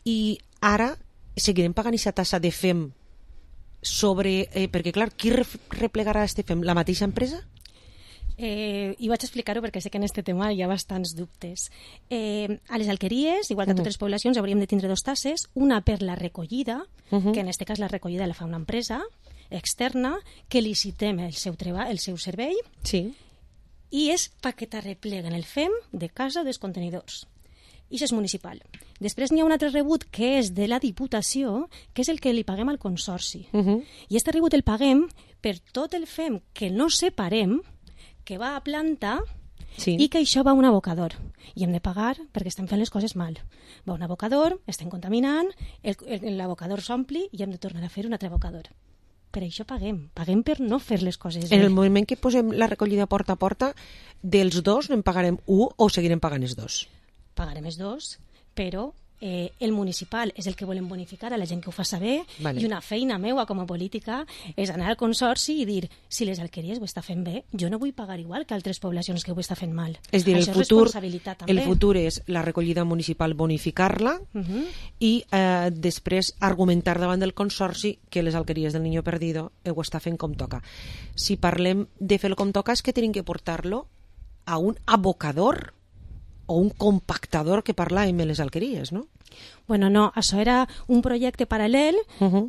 i ara seguirem pagant aquesta tassa de FEM sobre... perquè, clar, qui replegarà este FEM? La mateixa empresa? I vaig explicar-ho perquè sé que en aquest tema hi ha bastants dubtes. A les alqueries, igual que a totes les poblacions, hauríem de tindre 2 tasses, una per la recollida, que en aquest cas la recollida la fa una empresa externa, que licitem el seu servei, i és perquè te repleguen el FEM de casa dels contenidors. I això és municipal. Després n'hi ha un altre rebut que és de la Diputació, que és el que li paguem al Consorci. I aquest rebut el paguem per tot el FEM que no separem, que va a planta i que això va a un abocador. I hem de pagar perquè estem fent les coses mal. Va a un abocador, estem contaminant, l'abocador s'ompli i hem de tornar a fer un altre abocador. Per això paguem per no fer les coses bé. En el moment que posem la recollida porta a porta, dels 2 en pagarem 1 o seguirem pagant els 2? Pagarem els 2, però el municipal és el que volem bonificar a la gent que ho fa saber, i una feina meua com a política és anar al Consorci i dir, si les alqueries ho està fent bé, jo no vull pagar igual que altres poblacions que ho està fent mal. És dir, el futur és la recollida municipal bonificar-la i després argumentar davant del Consorci que les alqueries del Niño Perdido ho està fent com toca. Si parlem de fer-lo com toca és que tenim que portar-lo a un abocador o un compactador que parlàvem en les alqueries, no? Bueno, no, això era un projecte paral·lel,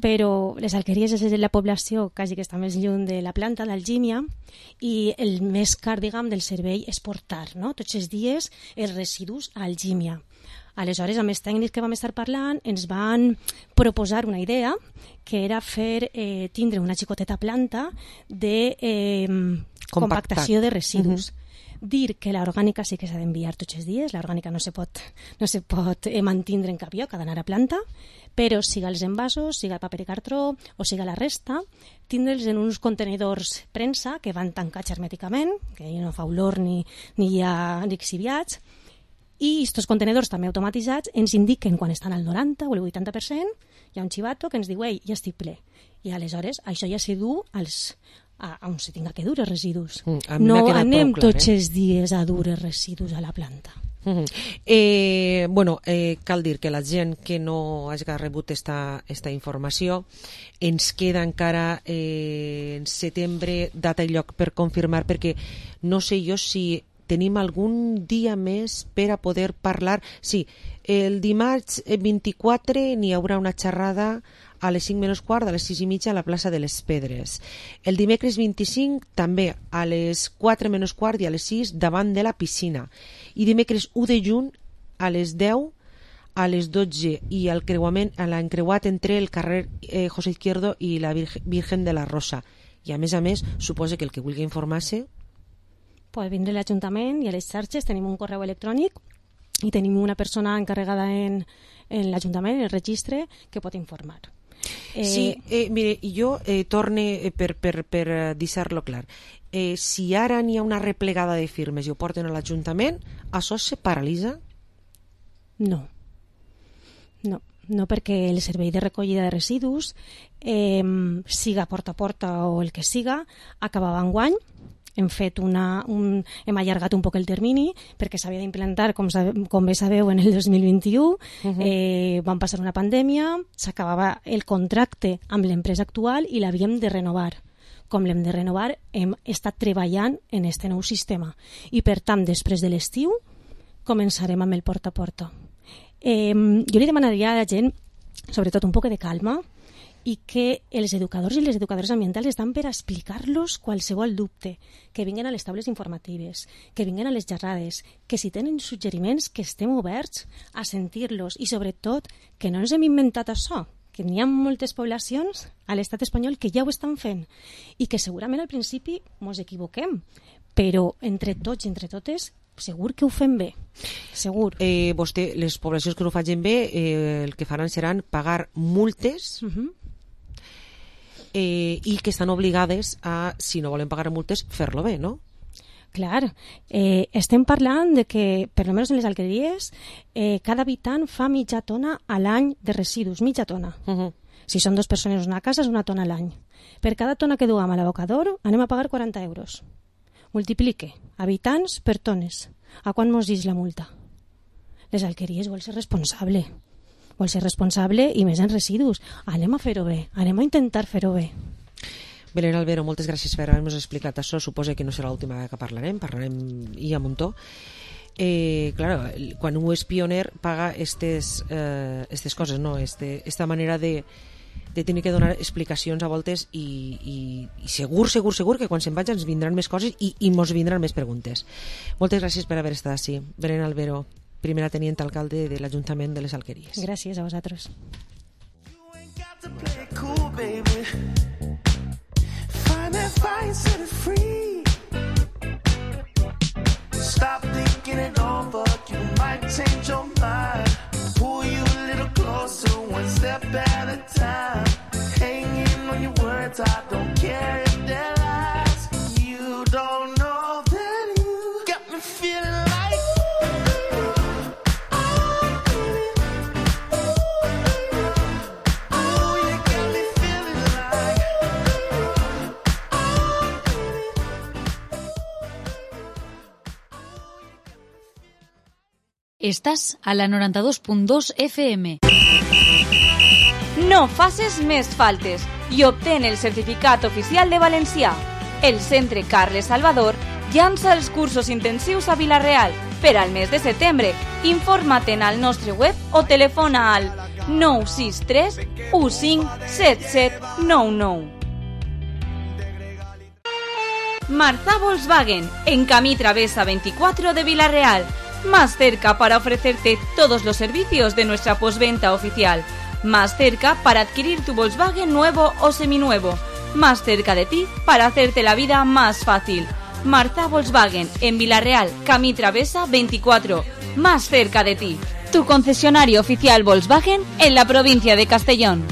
però les alqueries és la població quasi que està més lluny de la planta d'Algímia i el més car, diguem, del servei és portar, no? Tots els dies els residus a Algímia. Aleshores, amb els tècnics que vam estar parlant, ens van proposar una idea que era tindre una xicoteta planta de compactació de residus. Dir que l'orgànica sí que s'ha d'enviar tots els dies, l'orgànica no se pot mantindre en cap lloc, ha d'anar a planta, però siga els envasos, siga el paper i cartró o siga la resta, tindre'ls en uns contenidors premsa que van tancats hermèticament, que no fa olor ni hi ha lixiviats, i aquests contenidors també automatitzats ens indiquen quan estan al 90 o el 80%, hi ha un xivato que ens diu, ei, ja estic ple. I aleshores això ja se du on se tinga que dur els residus. No anem tots els dies a dur els residus a la planta. Cal dir que la gent que no hagi rebut esta informació, ens queda encara en setembre data i lloc per confirmar, perquè no sé jo si tenim algun dia més per a poder parlar. Sí, el dimarts 24 n'hi haurà una xerrada a les 5 menys quart, a les 6 i mitja a la plaça de les Pedres. El dimecres 25 també a les 4 menys quart i a les 6 davant de la piscina. I dimecres 1 de juny a les 10 a les 12 i al l'encreuat entre el carrer José Izquierdo i la Virgen de la Rosa. I a més, suposa que el que vulgui informar-se pot vindre a l'Ajuntament i a les xarxes. Tenim un correu electrònic i tenim una persona encarregada en l'Ajuntament, en el registre, que pot informar. Mire, jo torne per deixar-lo clar. Si ara n'hi ha una replegada de firmes i ho porten a l'Ajuntament, això se paralitza? No, perquè el servei de recollida de residus, siga porta a porta o el que siga, acabava enguany. Hem allargat un poc el termini perquè s'havia d'implantar, com bé sabeu, en el 2021. Vam passar una pandèmia, s'acabava el contracte amb l'empresa actual i l'havíem de renovar. Com l'hem de renovar, hem estat treballant en aquest nou sistema. I, per tant, després de l'estiu, començarem amb el porta a porta. Jo li demanaria a la gent, sobretot, un poc de calma, i que els educadors i les educadores ambientals estan per explicar-los qualsevol dubte, que vinguen a les taules informatives, que vinguen a les xerrades, que si tenen suggeriments que estem oberts a sentir-los i sobretot que no ens hem inventat això, que n'hi ha moltes poblacions a l'estat espanyol que ja ho estan fent i que segurament al principi ens equivoquem, però entre tots i entre totes segur que ho fem bé, segur. Vostè, les poblacions que no ho facin bé, el que faran seran pagar multes i que estan obligades a, si no volen pagar multes, fer-lo bé, no? Clar, estem parlant de que, per almenys en les alqueries, cada habitant fa mitja tona a l'any de residus, mitja tona. Si són 2 persones en una casa, és 1 tona a l'any. Per cada tona que duem a l'abocador, anem a pagar 40 euros. Multiplique habitants per tones. A quan mos dix la multa? Les alqueries vol ser responsable. Vol ser responsable i més en residus. Anem a fer-ho bé, anem a intentar fer-ho bé. Belén Albero, moltes gràcies per haver-nos explicat això. Suposo que no serà l'última vegada que parlarem i a muntó. Claro, quan un és pioner paga estes coses, no? Esta manera de tenir que donar explicacions a voltes i segur que quan se'n vaig ens vindran més coses i ens vindran més preguntes. Moltes gràcies per haver estat així. Belén Albero, primera teniente alcalde de l'Ajuntament de les Alqueries. Gràcies a vosaltres. Stop thinking it over, you might change your mind. Pull you a little closer, one step at a time. Hanging on your words, I don't care if they're lies. You don't know that you got me feeling like Estàs a la 92.2 FM. No faces més faltes i obtén el certificat oficial de valencià. El Centre Carles Salvador llança els cursos intensius a Vila-real per al mes de setembre. Informa't al nostre web o telefona al 963 15 7799. Marzà Volkswagen, en camí travessa 24 de Vila-real. más cerca para ofrecerte todos los servicios de nuestra postventa oficial, más cerca para adquirir tu Volkswagen nuevo o seminuevo, más cerca de ti para hacerte la vida más fácil. Marza Volkswagen, en Vilarreal, Camí Travesa 24, más cerca de ti. Tu concesionario oficial Volkswagen en la provincia de Castellón.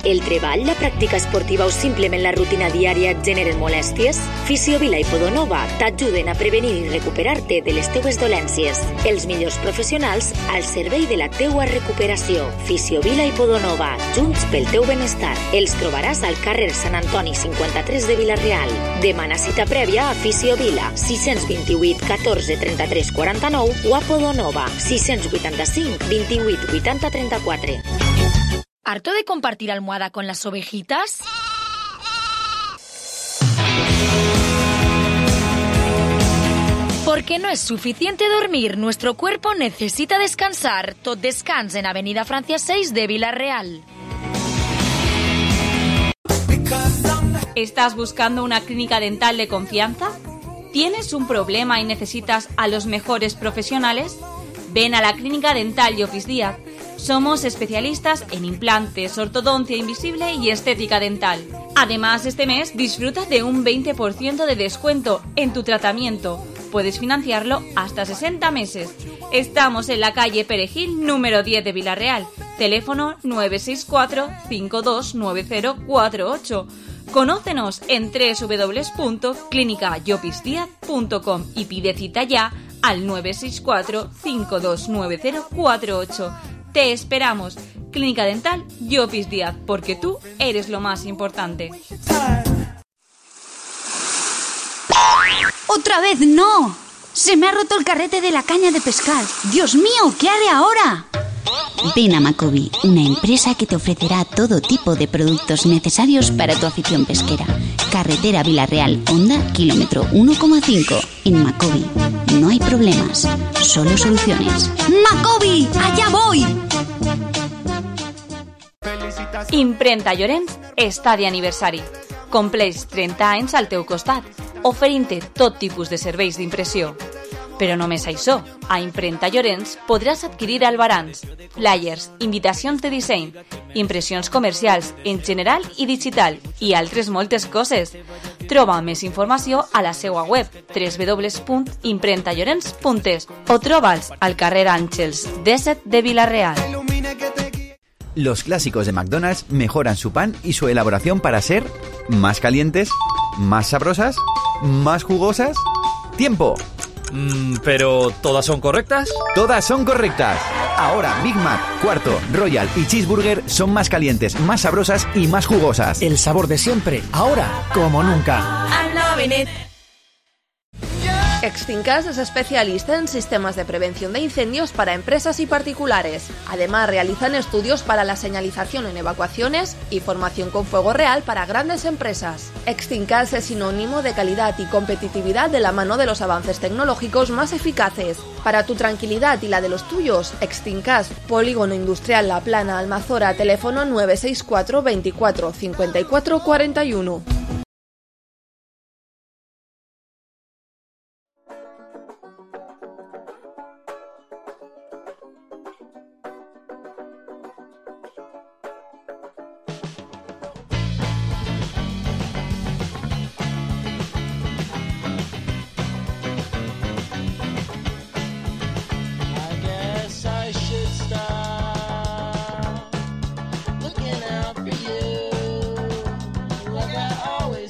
El treball, la pràctica esportiva o simplement la rutina diària et generen molèsties? Fisiovila i Podonova t'ajuden a prevenir i recuperar-te de les teues dolències. Els millors professionals al servei de la teua recuperació. Fisiovila i Podonova, junts pel teu benestar. Els trobaràs al carrer Sant Antoni 53 de Vilareal. Demana cita prèvia a Fisiovila 628 14 33 49 o a Podonova 685 28 80 34. ¿Harto de compartir almohada con las ovejitas? Porque no es suficiente dormir, nuestro cuerpo necesita descansar. Tot Descans en Avenida Francia 6 de Vilareal. ¿Estás buscando una clínica dental de confianza? ¿Tienes un problema y necesitas a los mejores profesionales? Ven a la Clínica Dental Llopis Díaz. Somos especialistas en implantes, ortodoncia invisible y estética dental. Además, este mes disfruta de un 20% de descuento en tu tratamiento. Puedes financiarlo hasta 60 meses. Estamos en la calle Perejil, número 10 de Vilareal. Teléfono 964-529048. Conócenos en www.clinicallopisdiaz.com y pide cita ya al 964-529048. Te esperamos. Clínica Dental Llopis Díaz, porque tú eres lo más importante. ¡Otra vez no! Se me ha roto el carrete de la caña de pescar. ¡Dios mío! ¿Qué haré ahora? Ven a Macobi, una empresa que te ofrecerá todo tipo de productos necesarios para tu afición pesquera. Carretera Vilareal, Honda, kilómetro 1,5. En Macobi no hay problemas, solo soluciones. ¡Macobi! ¡Allá voy! Imprenta Llorenç està d'aniversari. Compleix 30 anys al teu costat, oferint-te tot tipus de serveis d'impressió. Però només això, a Imprenta Llorenç podràs adquirir albarans, flyers, invitacions de disseny, impressions comercials en general i digital i altres moltes coses. Troba més informació a la seva web www.imprentallorenç.es o troba'ls al carrer Àngels 17 de Vilareal. Los clásicos de McDonald's mejoran su pan y su elaboración para ser más calientes, más sabrosas, más jugosas. ¡Tiempo! ¿Pero todas son correctas? Todas son correctas. Ahora Big Mac, Cuarto, Royal y Cheeseburger son más calientes, más sabrosas y más jugosas. El sabor de siempre, ahora como nunca. I'm loving it. Extincas es especialista en sistemas de prevención de incendios para empresas y particulares. Además, realizan estudios para la señalización en evacuaciones y formación con fuego real para grandes empresas. Extincas es sinónimo de calidad y competitividad de la mano de los avances tecnológicos más eficaces. Para tu tranquilidad y la de los tuyos, Extincas, Polígono Industrial La Plana, Almazora, teléfono 964 24 54 41. Like I always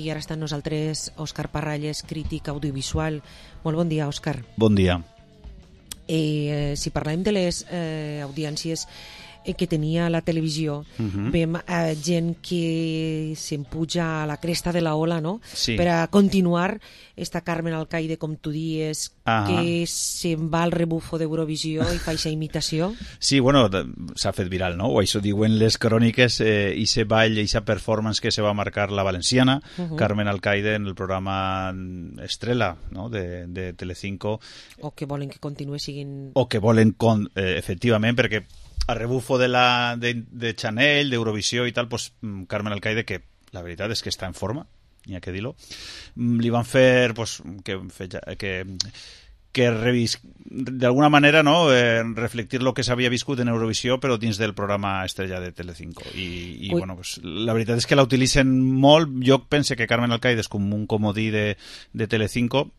I ara està amb nosaltres Òscar Parralles, crític audiovisual. Molt bon dia, Òscar. Bon dia. Si parlem de les audiències que tenia la televisió, veiem gent que se'n puja a la cresta de la ola, no? Sí. Per a continuar, està Carmen Alcaide, com tu dies, que se'n va al rebufo d'Eurovisió i fa aquesta imitació. Sí, bueno, s'ha fet viral, no? O això diuen les cròniques, i se ball, i sa performance que se va marcar la valenciana, Carmen Alcaide, en el programa Estrella, no?, de Telecinco. O que volen que continuï siguin... O que volen, efectivament, perquè a rebufo de Chanel, d'Eurovisió i tal, pues, Carmen Alcaide, que la veritat és que està en forma, n'hi ha que dir-lo, li van fer pues, que d'alguna manera, no, reflectir lo que s'havia viscut en Eurovisió, però dins del programa Estrella de Telecinco. I bueno, pues, la veritat és que la utilitzen molt. Jo penso que Carmen Alcaide és com un comodí de Telecinco,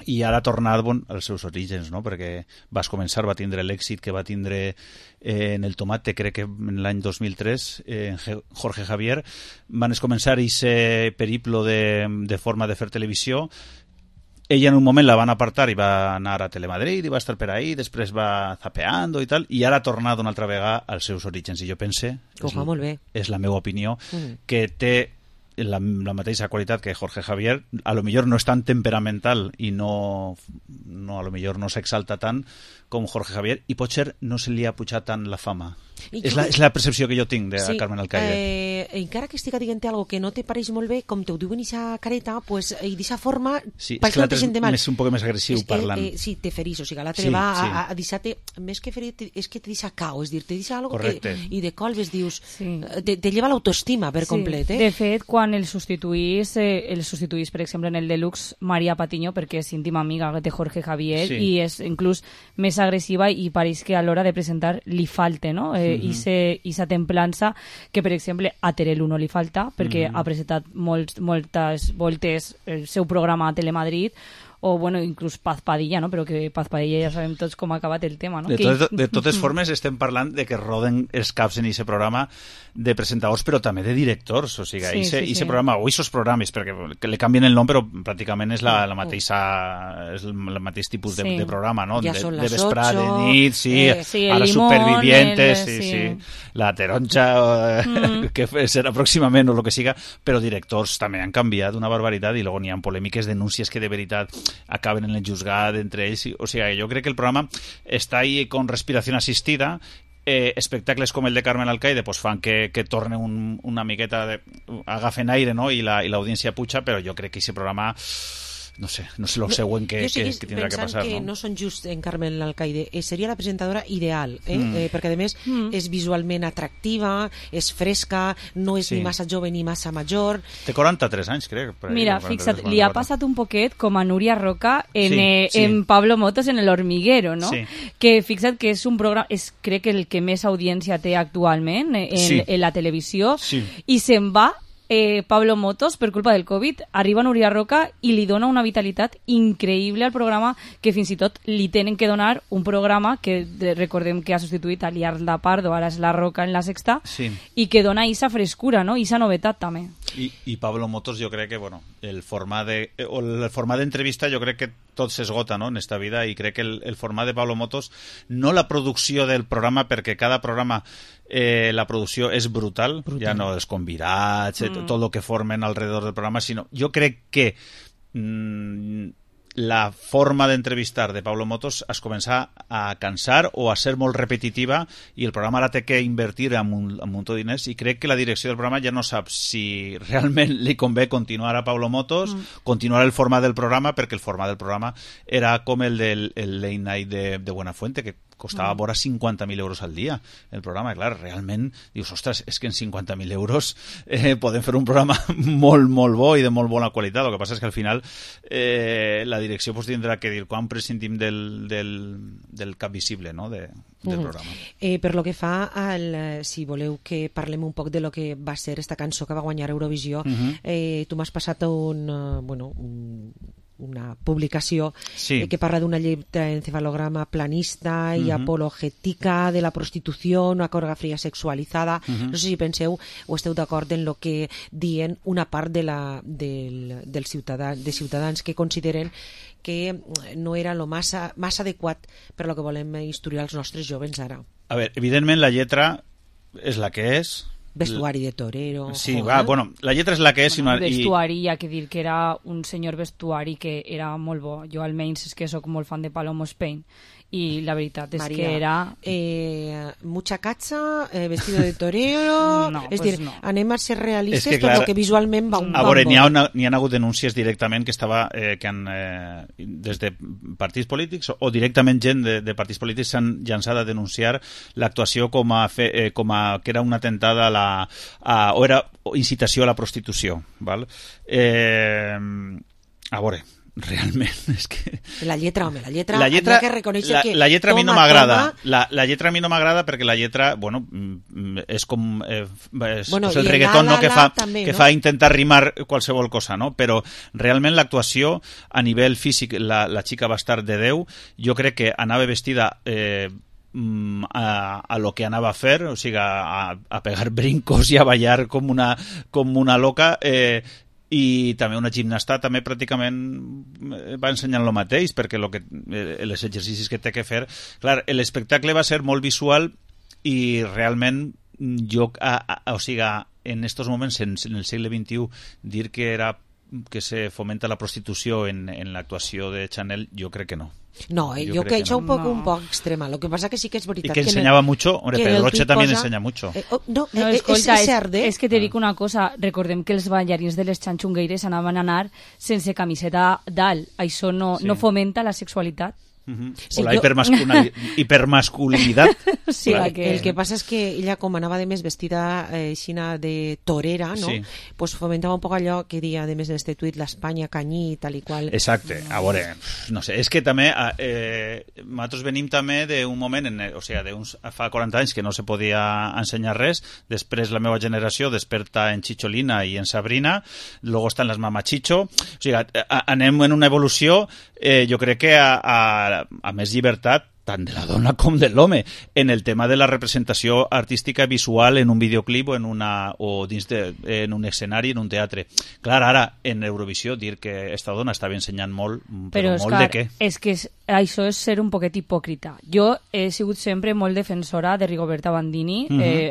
i ara ha tornat als seus orígens, no? Perquè va tindre l'èxit que va tindre en El Tomate, crec que en l'any 2003, en Jorge Javier. Van començar aquest periplo de forma de fer televisió. Ella en un moment la van apartar i va anar a Telemadrid i va estar per ahí, després va zapeando i tal, i ara ha tornat una altra vegada als seus orígens. I jo pense, molt bé. És la meva opinió, que té la mateixa qualitat que Jorge Javier. A lo millor no és tan temperamental i a lo millor no s'exalta tant com Jorge Javier, i potser no se li ha pujat tant la fama. És la percepció que jo tinc de Carmen Alcaide. Encara que estic dient algo que no te pareix molt bé, com te ho diuen aquesta careta, pues, i d'aquesta forma, sí, pareix que no te sent mal. És un poc més agressiu parlant. Sí, te ferís, o sigui, l'altre va a deixar-te, més que ferir, és que te deixa cao, és dir, te deixa algo que, i de colves dius, te lleva l'autoestima per complet. De fet, quan el substituís, per exemple, en el Deluxe, Maria Patiño, perquè és íntima amiga de Jorge Javier, i és inclús més agressiva, i pareix que a l'hora de presentar li falta, no? I sa templança que, per exemple, a Terelu no li falta, perquè ha presentat moltes voltes el seu programa a Telemadrid, o, bueno, inclús Paz Padilla, no? Però que Paz Padilla ja sabem tots com ha acabat el tema, no? De totes formes, estem parlant de que roden els caps en aquest programa de presentadors, però també de directors, o sigui, aquest programa, o aquests programes, perquè li canvien el nom, però pràcticament és el mateix tipus de programa, no? Ja són les 8, de vesprà, de nit, a les Supervivientes, la Taronja, que serà pròximament, o el que siga, però directors també han canviat una barbaritat, i llavors n'hi ha polèmiques, denúncies que de veritat acaben en el juzgat entre ells. O sigui, jo crec que el programa està ahí con respiració assistida. Espectacles com el de Carmen Alcaide pues fan que torne una miqueta, agafen aire, no? I l'audiència puja, però jo crec que aquest programa no sé el següent que tindrà que passar. Jo que no són just en Carmen Alcaide, seria la presentadora ideal, perquè a més és visualment atractiva, és fresca, no és ni massa jove ni massa major. Té 43 anys, crec. Mira, fixa't, li ha passat un poquet com a Núria Roca en Pablo Motos en El Hormiguero, no? Que fixa't que és un programa, crec que el que més audiència té actualment en la televisió, i se'n va Pablo Motos, per culpa del Covid, arriba Núria Roca i li dona una vitalitat increïble al programa, que fins i tot li tenen que donar un programa que recordem que ha substituït a Liarda Pardo, ara és La Roca en La Sexta, i que dona esa frescura, no? I esa novetat també. I Pablo Motos, jo crec que el format d'entrevista jo crec que tot s'esgota, no?, en esta vida, i crec que el format de Pablo Motos, no la producció del programa, perquè cada programa la producció és brutal, ja no els convidats, tot el que formen alrededor del programa, sinó jo crec que la forma d'entrevistar de Pablo Motos es comença a cansar o a ser molt repetitiva, i el programa ara té que invertir un munt de diners, i crec que la direcció del programa ja no sap si realment li convé continuar a Pablo Motos, continuar el format del programa, perquè el format del programa era com el del Late Night de Buenafuente, que costava vora 50.000 euros al dia el programa. Clar, realment dius, ostres, és que en 50.000 euros podem fer un programa molt, molt bo i de molt bona qualitat. El que passa és que al final la direcció pues, tindrà que dir quan prescindim del cap visible, no?, del programa. Per lo que fa si voleu que parlem un poc de lo que va ser esta cançó que va guanyar Eurovisió, tu m'has passat un una publicació que parla d'una electroencefalograma planista i apologètica de la prostitució, una coreografia sexualitzada. No sé si penseu o esteu d'acord en el que diuen una part de ciutadans que consideren que no era lo massa adequat per lo que volem instruir als nostres jovens ara. A veure, evidentment la lletra és la que és. Vestuari de torero. Sí, bueno, la lletra és la que és. Vestuari, hi ha que dir que era un senyor vestuari que era molt bo. Jo almenys és que soc molt fan de Palomo Spain i la veritat és Maria, que era... mucha cacha, vestido de torero... No, és pues dir, no. anem a ser realistes, que, clar, però que visualment va un a veure, n'hi ha hagut denúncies directament que han des de partits polítics o directament gent de partits polítics s'han llançat a denunciar l'actuació com a que era una atemptada o era incitació a la prostitució, val? A veure, realment és que... La lletra, que reconèixer que... La lletra a mi no m'agrada. La lletra a mi no m'agrada perquè la lletra, bueno, és com el reggaeton, no? Que fa intentar rimar qualsevol cosa, no? Però realment l'actuació a nivell físic, la xica va estar de Déu, jo crec que anava vestida a lo que anava a fer, o sigui, a pegar brincos i a ballar com una loca, i també una gimnasta també pràcticament va ensenyant el mateix, perquè els exercicis que té que fer, clar, l'espectacle va ser molt visual i realment o sigui, en estos moments, en el segle XXI, dir que se fomenta la prostitució en l'actuació de Chanel, jo crec que no. No, jo crec que això és un poc extrema. Lo que pasa que sí que és veritat. Y que enseñaba mucho, hombre, Pedro Roche también enseña mucho. Escolta, és que te dic una cosa, recordem que els ballarins de les xanxungueires anaven a anar sense camiseta dalt. Això no fomenta la sexualitat. O la hipermasculinitat. Sí, el que passa és que ella, com anava de més vestida aixina de torera, no? Pues fomentava un poc allò que dia de més en este tuit, l'Espanya canyí, tal i qual. Exacte, a veure, no sé, és que també nosaltres venim també d'un moment, o sigui, fa 40 anys que no se podia ensenyar res, després la meva generació desperta en Chicholina i en Sabrina, luego estan les Mamachicho, o sigui, anem en una evolució, jo crec que a més llibertat tant de la dona com de l'home en el tema de la representació artística visual en un videoclip en un escenari, en un teatre. Clar, ara, en Eurovisió, dir que esta dona estava ensenyant molt, però molt de què? És que això és ser un poquet hipòcrita. Jo he sigut sempre molt defensora de Rigoberta Bandini,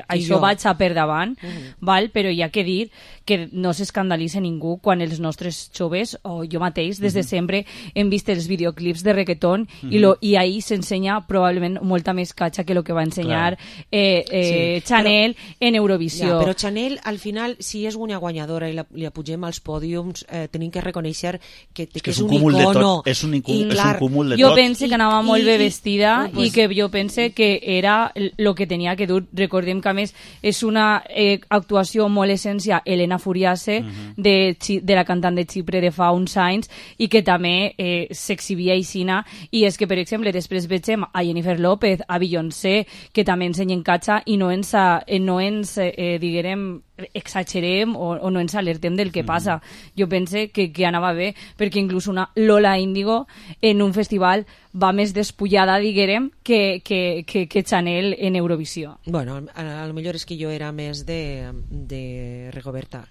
això vaig a per davant, però hi ha que dir que no s'escandalitza ningú quan els nostres joves, o jo mateix, des de sempre, hem vist els videoclips de reggaeton i ahir s'ensenya probablement molta més catxa que el que va ensenyar Chanel en Eurovisió. Però Chanel, al final, si és una guanyadora i li apugem als pòdiums, tenim que reconèixer que és un icono. És un cúmul de tot. Jo pense que anava molt bé vestida i que jo pense que era el que tenia que dur. Recordem que, a més, és una actuació molt essència Elena Furiase, de la cantant de Xipre de fa uns anys, i que també s'exhibia aixina, i és que, per exemple, després veiem a Jennifer López, a Beyoncé, que també ensenyen catxa i no ens diguem, exagerem o no ens alertem del que passa. Jo pense que anava bé, perquè inclús una Lola Índigo en un festival va més despullada, diguem, que Chanel en Eurovisió. Bueno, a lo millor és que jo era més de Rigoberta,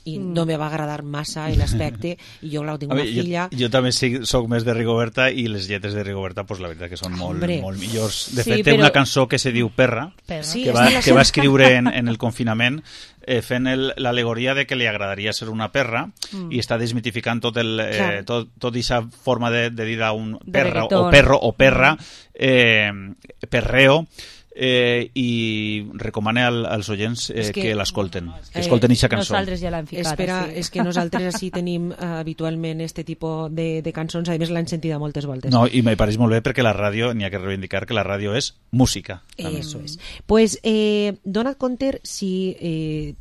i no me va agradar massa l'aspecte, i jo, clar, tinc una filla... Jo també soc més de Rigoberta, i les lletres de Rigoberta, pues, la veritat que són molt millors. De fet, té una cançó que se diu Perra, que va escriure en el confinament, fent l'al·legoria de que li agradaria ser una perra, i està desmitificant tot aquesta forma de dir a un perra o perro o perra, perreo, i recomana als oients que l'escolten, que escolten aquesta cançó. Nosaltres ja l'hem ficat. És que nosaltres així tenim habitualment este tipus de cançons, a més l'hem sentida moltes voltes. No, i me pareix molt bé perquè la ràdio, n'hi ha que reivindicar que la ràdio és música. Eso és. Pues, dona't compte si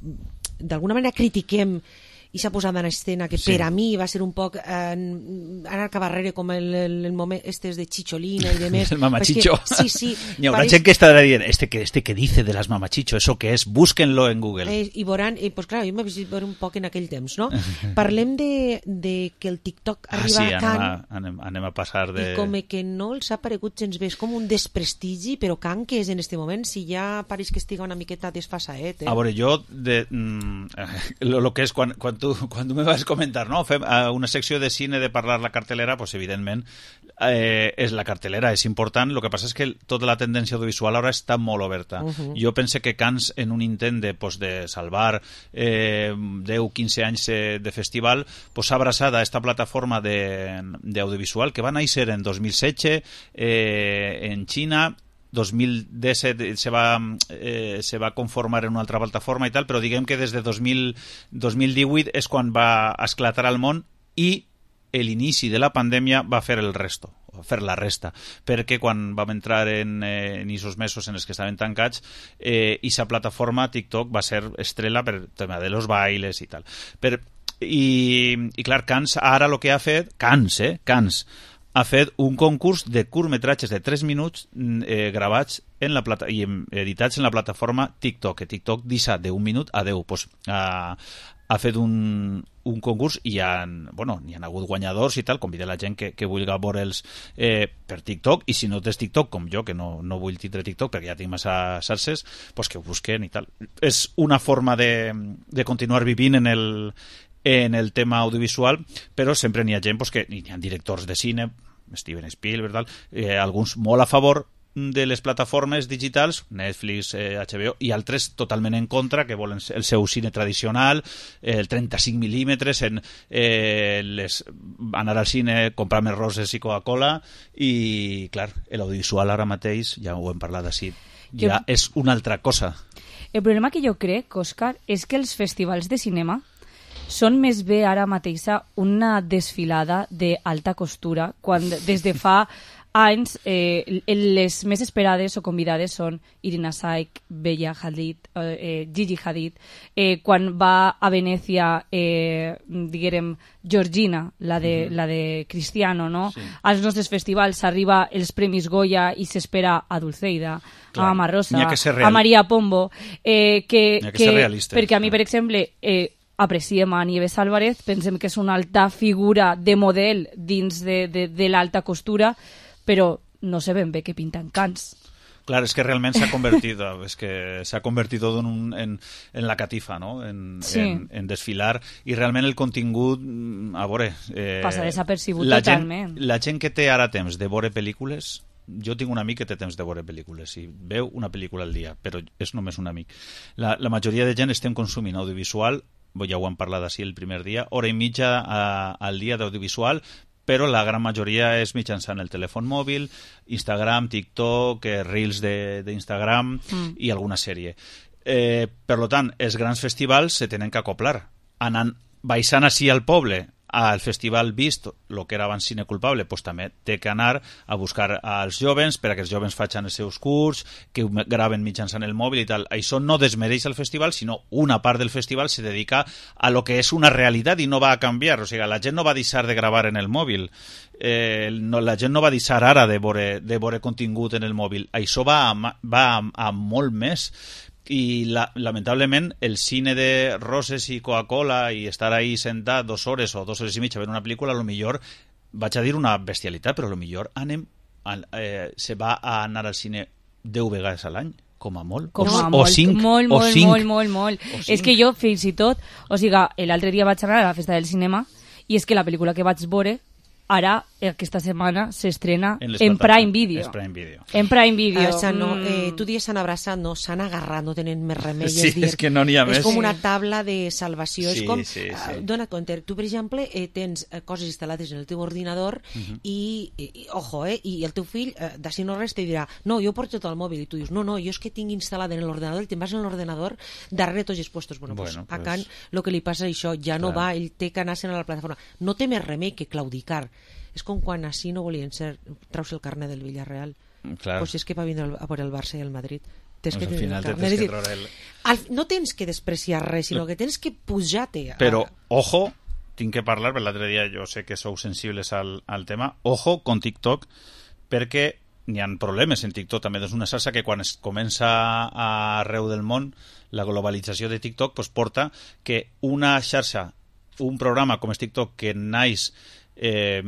d'alguna manera critiquem i s'ha posat en escena que per a mi va ser un poc anar cap darrere com el moment estes de Chicholina i de més. El mamachicho. Sí. Hi haurà gent que estarà dient, este que dice de las mamachicho, eso que es, búsquenlo en Google. I veuran, pues clar, jo m'he vist un poc en aquell temps, no? Parlem de que el TikTok arriba a Cannes. Anem a passar de... I com que no els ha paregut gens bé, és com un desprestigi, però Cannes que és en este moment, si ja pareix que estiga una miqueta desfasaet. A veure, jo, lo que és, quan tu me vas comentar, no? Fem una secció de cine de parlar la cartelera, pues evidentment és la cartelera, és important. Lo que passa és que tota la tendència audiovisual ara està molt oberta. Jo pense que Cannes, en un intent de salvar 10-15 anys de festival, s'ha abraçat a esta plataforma d'audiovisual que va néixer en 2016 en Xina. 2017 se va conformar en una altra plataforma i tal, però diguem que des de 2018 és quan va esclatar al món i l'inici de la pandèmia va fer el resto, fer la resta, perquè quan vam entrar en aquests mesos en els que estaven tancats, aquesta plataforma TikTok va ser estrella per el tema de los bailes i tal. I clar, Cannes ara el que ha fet, Cannes ha fet un concurs de curtmetratges de 3 minuts gravats i editats en la plataforma TikTok, que TikTok deixa d'1 minut a 10. Pues, ha fet un concurs i hi ha hagut guanyadors i tal. Convida la gent que vulgui veure'ls per TikTok, i si no tens TikTok, com jo, que no vull tindre TikTok perquè ja tinc massa xarxes, pues que ho busquen i tal. És una forma de continuar vivint en el tema audiovisual, però sempre n'hi ha gent que hi ha directors de cine, Steven Spielberg, alguns molt a favor de les plataformes digitals, Netflix, HBO, i altres totalment en contra, que volen el seu cine tradicional, el 35 mil·límetres, anar al cine, comprar més roses i Coca-Cola, i, clar, l'audiovisual ara mateix, ja ho hem parlat així, ja és una altra cosa. El problema que jo crec, Òscar, és que els festivals de cinema són més bé ara mateixa una desfilada d'alta costura, quan des de fa anys les més esperades o convidades són Irina Shayk, Bella Hadid, Gigi Hadid. Quan va a Venècia, diguem, Georgina, la de Cristiano, no? Sí. Als nostres festivals s'arriba els Premis Goya i s'espera a Dulceida, a Mama Rosa, a Maria Pombo, perquè a mi, per exemple, apreciem a Nieves Álvarez, pensem que és una alta figura de model dins de l'alta costura, però no sé ben bé què pinten Cannes. Claro, es que realmente se ha convertido en la catifa, ¿no? En desfilar, y realmente el contingut, a veure... passa desapercibut totalment. La gent que té ara temps de veure pel·lícules, jo tinc un amic que té temps de veure pel·lícules i veu una pel·lícula al dia, però és només un amic. La majoria de gent estem consumint audiovisual, ja ho hem parlat així el primer dia, hora i mitja al dia d'audiovisual, però la gran majoria és mitjançant el telèfon mòbil, Instagram, TikTok, Reels d'Instagram i alguna sèrie. Per tant, els grans festivals se tenen que acoplar. Baixant així al poble, al festival vist, el que era abans Cine Culpable, pues també té que anar a buscar als jovens perquè els jovens facin els seus curts, que graven mitjançant el mòbil i tal. Això no desmereix el festival, sinó una part del festival se dedica a lo que és una realitat i no va a canviar. O sigui, la gent no va deixar de gravar en el mòbil, la gent no va deixar ara de veure contingut en el mòbil. Això va a molt més. I lamentablement el cine de roses i Coca-Cola i estar ahí sentat 2 hores o 2 hores i mitja a veure una pel·lícula, a lo millor vaig a dir una bestialitat, però a lo millor se va a anar al cine 10 vegades a l'any, com a molt, o 5. Molt. És que jo fins i tot, o sigui, l'altre dia vaig anar a la festa del cinema i és que la pel·lícula que vaig veure ara, aquesta setmana, s'estrena en Prime Video. En Prime Video. Tu dius s'han abraçat, no, s'han agarrat, no tenen més remei. Sí, és que no n'hi ha més. És com una taula de salvació. És com, dona compte, tu, per exemple, tens coses instal·lades en el teu ordinador i el teu fill, d'ací no res, te dirà, no, jo porto tot el mòbil, i tu dius, no, jo és que tinc instal·lat en l'ordenador, te'n vas en l'ordenador, darrere tots els puestos. Bueno, pues a Can, el que li passa això, ja no va, ell té que anar-se'n a la plataforma. No té més remei que claudicar. És com quan així no volien ser, traus el carnet del Villarreal. Pues és que va vindre a veure el Barça i el Madrid. tens al final carnet. tens que treure No tens que despreciar res, sinó que tens que pujar-te. Però, ojo, tinc que parlar, per l'altre dia jo sé que sou sensibles al tema, ojo con TikTok, perquè n'hi ha problemes en TikTok també. És una xarxa que quan es comença arreu del món, la globalització de TikTok pues, porta que una xarxa, un programa com és TikTok que naix el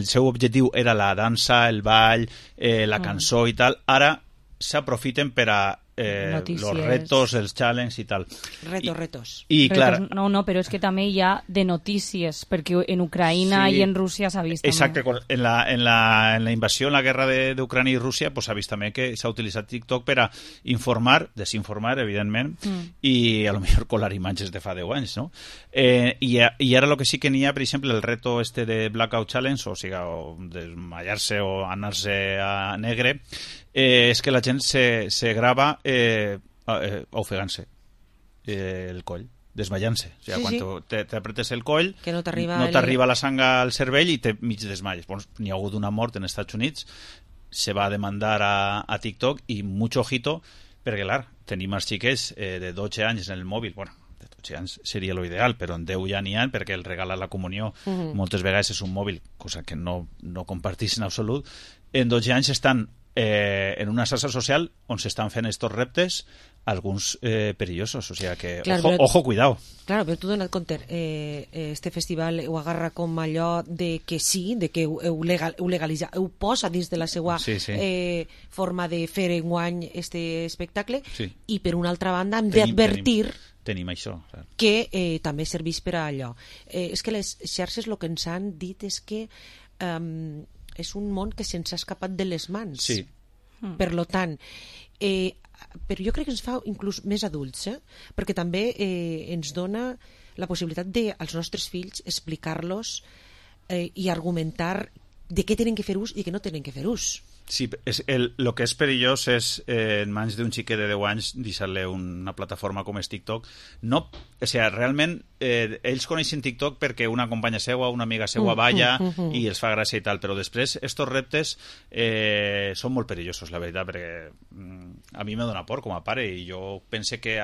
seu objectiu era la dansa, el ball, la cançó i tal, ara s'aprofiten per a los retos, els challenges i tal. Retos. I clar... No, però és que també hi ha de notícies, perquè en Ucraïna i en Rússia s'ha vist Exacte, també. En la invasió, en la guerra d'Ucrània i Rússia, s'ha vist també que s'ha utilitzat TikTok per a informar, desinformar, evidentment, i a lo millor colar imatges de fa 10 anys, no? I ara el que sí que n'hi ha, per exemple, el reto este de Blackout Challenge, o sigui, desmayar-se o anar-se a negre, és que la gent se grava ofegant-se el coll, desmayant-se. O sigui, quan t'apretes el coll, que no t'arriba la sang al cervell i te mig desmayes. N'hi ha hagut una mort en Estats Units, se va demandar a TikTok i mucho ojito, perquè clar, tenim els xiquets de 12 anys en el mòbil, bueno, de 12 anys seria lo ideal, però en 10 ja n'hi ha, perquè el regal a la comunió moltes vegades és un mòbil, cosa que no compartís en absolut. En 12 anys estan en una xarxa social on s'estan fent estos reptes, alguns perillosos, o sigui que ojo, cuidado. Claro, però tu dona't compte, este festival ho agarra com allò de que sí, de que heu legalitzat, heu posa dins de la seva forma de fer enguany este espectacle, i per una altra banda hem d'advertir tenim això, que també serveix per a allò. És que les xarxes el que ens han dit és que és un món que se'ns ha escapat de les mans. Sí. Per lo tant, però jo crec que ens fa inclús més adults, perquè també ens dona la possibilitat de als nostres fills explicar-los i argumentar de què tenen que fer ús i de què no tenen que fer ús. Sí, el que és perillós és en mans d'un xiquet de 10 anys deixar-li una plataforma com és TikTok. No, o sigui, realment ells coneixen TikTok perquè una companya seua, una amiga seua balla i els fa gràcia i tal, però després estos reptes són molt perillosos, la veritat, perquè a mi me dona por com a pare i jo pense que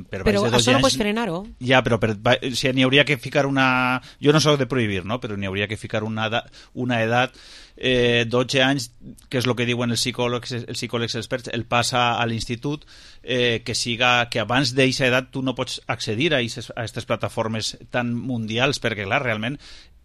però això no pots frenar-ho. Ja, però o sigui, n'hi hauria que ficar una... Jo no soc de prohibir, no? Però n'hi hauria que ficar una edat 12 anys, que és el que diuen els psicòlegs experts, el pas a l'institut, que abans d'aquesta edat tu no pots accedir a aquestes plataformes tan mundials, perquè clar, realment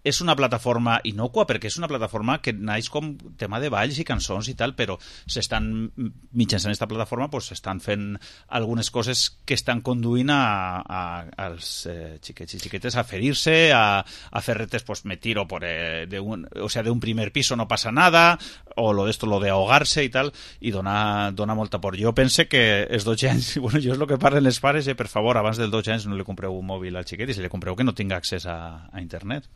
és una plataforma innocua, perquè és una plataforma que naix com tema de balls i cançons i tal, però mitjançant aquesta plataforma s'estan fent algunes coses que estan conduint als xiquets i xiquetes a ferir-se, a fer retes, me tiro d'un primer piso no passa nada, o lo de ahogar-se i tal, i dona molta por. Jo pense que els 12 anys, bueno, jo és el que parlen els pares, per favor, abans dels 12 anys no li compreu un mòbil al xiquet i si li compreu que no tinga accés a internet.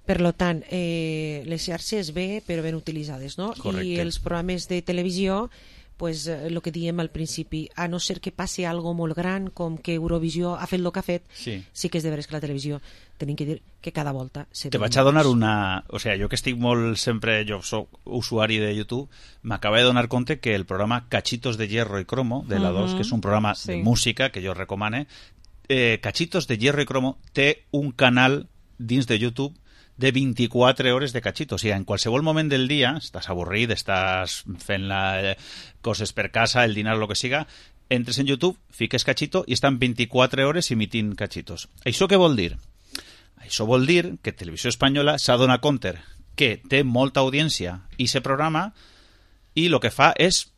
Per tant, les xarxes bé, però ben utilitzades, no? Correcte. I els programes de televisió, pues, el que diem al principi, a no ser que passi algo molt gran, com que Eurovisió ha fet el que ha fet, sí que és de veres que la televisió tenim que dir que cada volta... Te vaig a donar una... O sigui, jo que estic molt sempre... Jo soc usuari de YouTube, m'acaba de donar compte que el programa Cachitos de Hierro y Cromo, de la 2, que és un programa de música que jo recomane, Cachitos de Hierro y Cromo té un canal dins de YouTube de 24 hores de cachito. O sigui, en qualsevol moment del dia, estàs avorrit, estàs fent coses per casa, el dinar, el que siga, entres en YouTube, fiques cachito i estan 24 hores emitint cachitos. Això què vol dir? Això vol dir que Televisió Espanyola s'ha donat compte que té molta audiència i se programa i el que fa és,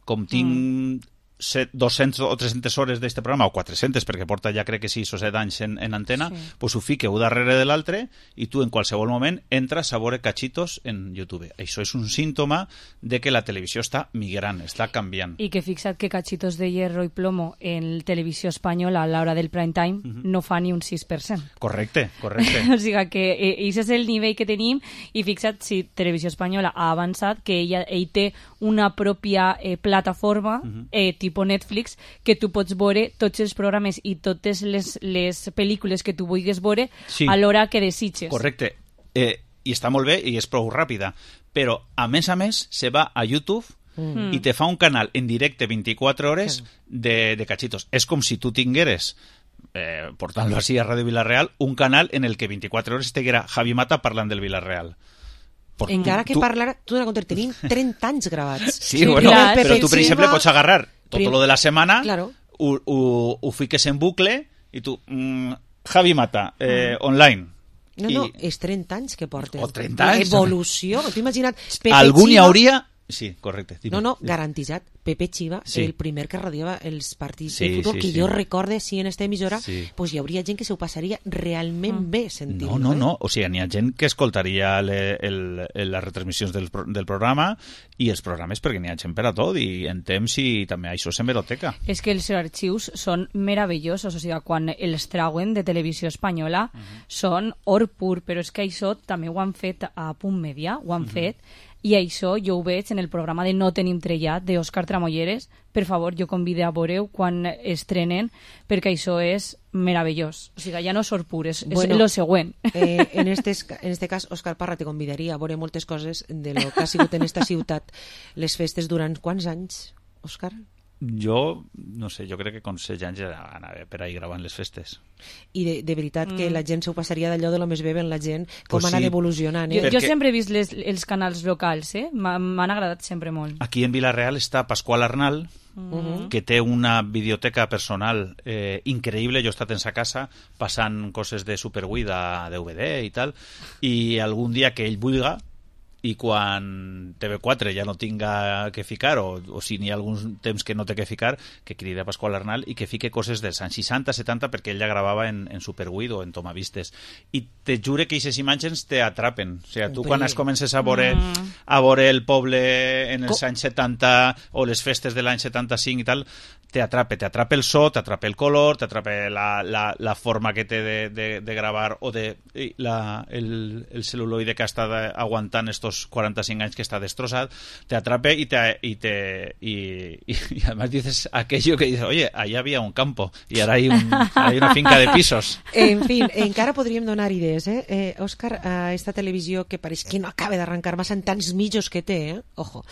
com tinc 200 o 300 hores d'aquest programa, o 400, perquè porta ja crec que 6 o 7 anys en antena, pues ho fiqueu darrere de l'altre i tu en qualsevol moment entres a veure cachitos en YouTube. Això és un símptoma de que la televisió està migrant, està canviant. I que fixa't que Cachitos de Hierro y Plomo en Televisió Espanyola a l'hora del prime time no fa ni un 6%. Correcte. O sigui que això és el nivell que tenim i fixa't si Televisió Espanyola ha avançat que ell té una pròpia plataforma tipus Netflix, que tu pots veure tots els programes i totes les pel·lícules que tu vulguis veure a l'hora que desitges. Correcte. I està molt bé i és prou ràpida. Però, a més, se va a YouTube i te fa un canal en directe 24 hores de cachitos. És com si tu tingueres, portant-lo així a Ràdio Vila-real, un canal en el que 24 hores estiguera Javi Mata parlant del Vila-real. Encara que parlar, tu dones compte, tenim 30 anys gravats. Sí, bueno, però tu, per exemple, pots agarrar tot lo de la setmana, ho fiques en bucle i tu, Javi Mata, online. No, és 30 anys que porten. O 30 anys. Evolució, t'ho imagina't. Algun hi hauria... Sí, correcte. No, garantitzat. Pepe Chiva, el primer que radiava els partits de futbol, que jo recorde, en esta emissora, pues hi hauria gent que se ho passaria realment bé sentir-ho. No. O sigui, n'hi ha gent que escoltaria les retransmissions del programa i els programes, perquè n'hi ha gent per a tot, i en temps i també això s'hemeroteca. És que els arxius són meravellosos, o sigui, quan els trauen de Televisió Espanyola són or pur, però és que això també ho han fet a Punt Media, ho han fet, i això jo ho veig en el programa de No tenim trellat d'Òscar Tramolleres. Per favor, jo convido a veure quan estrenen, perquè això és meravellós. O sigui, ja no és or pur, és lo següent. En este cas, Òscar Parra te convidaria a veure moltes coses de lo que ha sigut en esta ciutat les festes durant quants anys, Òscar? Jo, no sé, jo crec que con 16 anys ja anava per ahí gravant les festes. I de veritat que la gent s'ho passaria d'allò de lo més bé en la gent, com ha anat evolucionant. Jo sempre he vist els canals locals, m'han agradat sempre molt. Aquí en Vila-real està Pasqual Arnal, que té una videoteca personal increïble. Jo he estat en sa casa passant coses de Superwii, de DVD i tal, i algun dia que ell vulga, i quan TV4 ja no tinga que ficar, o si n'hi ha algun temps que no té que ficar, que crida Pasqual Arnal i que fique coses dels anys 60-70, perquè ell ja gravava en Superwii o en Tomavistes. I te jure que aquestes imatges te atrapen. O sigui, tu quan es comences a veure el poble en els anys 70 o les festes de l'any 75 i tal, t'atrapa el so, t'atrapa el color, t'atrapa la forma que té de gravar, o el celuloide que ha estat aguantant estos 45 anys que està destrossat, t'atrapa y además dices aquello que dices, oye, allá había un campo y ahora hay una finca de pisos. En fin, encara podríem donar idees, Òscar, a esta televisió que pareix que no acaba d'arrencar massa en tants mitjos que té, ojo.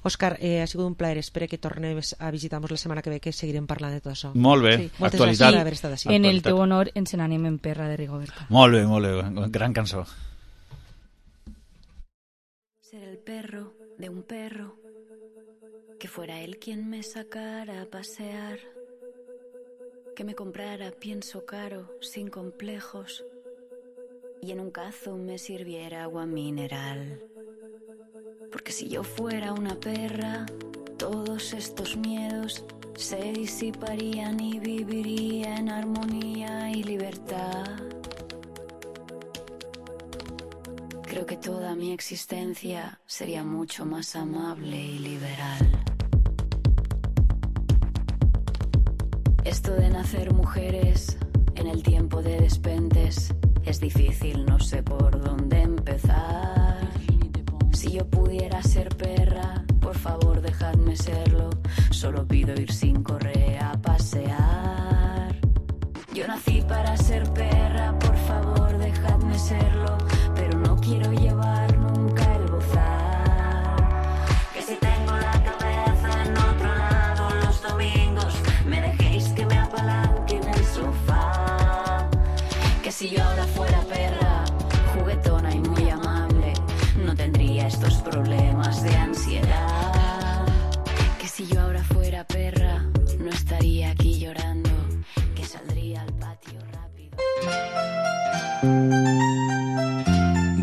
Òscar, ha sigut un plaer. Espero que tornem a visitar-nos la setmana que ve, que seguirem parlant de tot això. Molt bé. Sí. Actualitat. Haver estat així. En el teu honor ens n'anem en perra de Rigoberta. Molt bé. Gran cançó. Ser el perro de un perro, que fuera él quien me sacara a pasear, que me comprara pienso caro, sin complejos, y en un cazo me sirviera agua mineral. Porque si yo fuera una perra, todos estos miedos se disiparían y viviría en armonía y libertad. Creo que toda mi existencia sería mucho más amable y liberal. Esto de nacer mujeres en el tiempo de despentes es difícil, no sé por dónde empezar. Si yo pudiera ser perra, por favor dejadme serlo. Solo pido ir sin correa a pasear. Yo nací para ser perra, por favor dejadme serlo. Pero no quiero llevar nunca el bozal. Que si tengo la cabeza en otro lado los domingos, me dejéis que me apalanque en el sofá. Que si yo ahora fuera perra, juguetona y muy amable, no tendría estos problemas de ansiedad. Que si yo ahora fuera perra, no estaría aquí llorando, que saldría al patio rápido.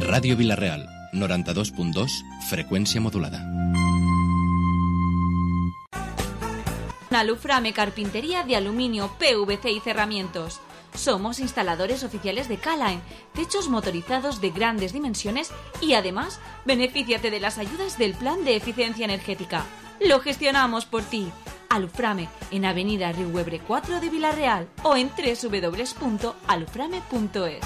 Ràdio Vila-real, 92.2, frecuencia modulada. Aluframe Carpintería de Aluminio, PVC y Cerramientos. Somos instaladores oficiales de K-Line, techos motorizados de grandes dimensiones y además benefíciate de las ayudas del Plan de Eficiencia Energética. Lo gestionamos por ti. Aluframe en Avenida Riuebre 4 de Vila-real o en www.aluframe.es.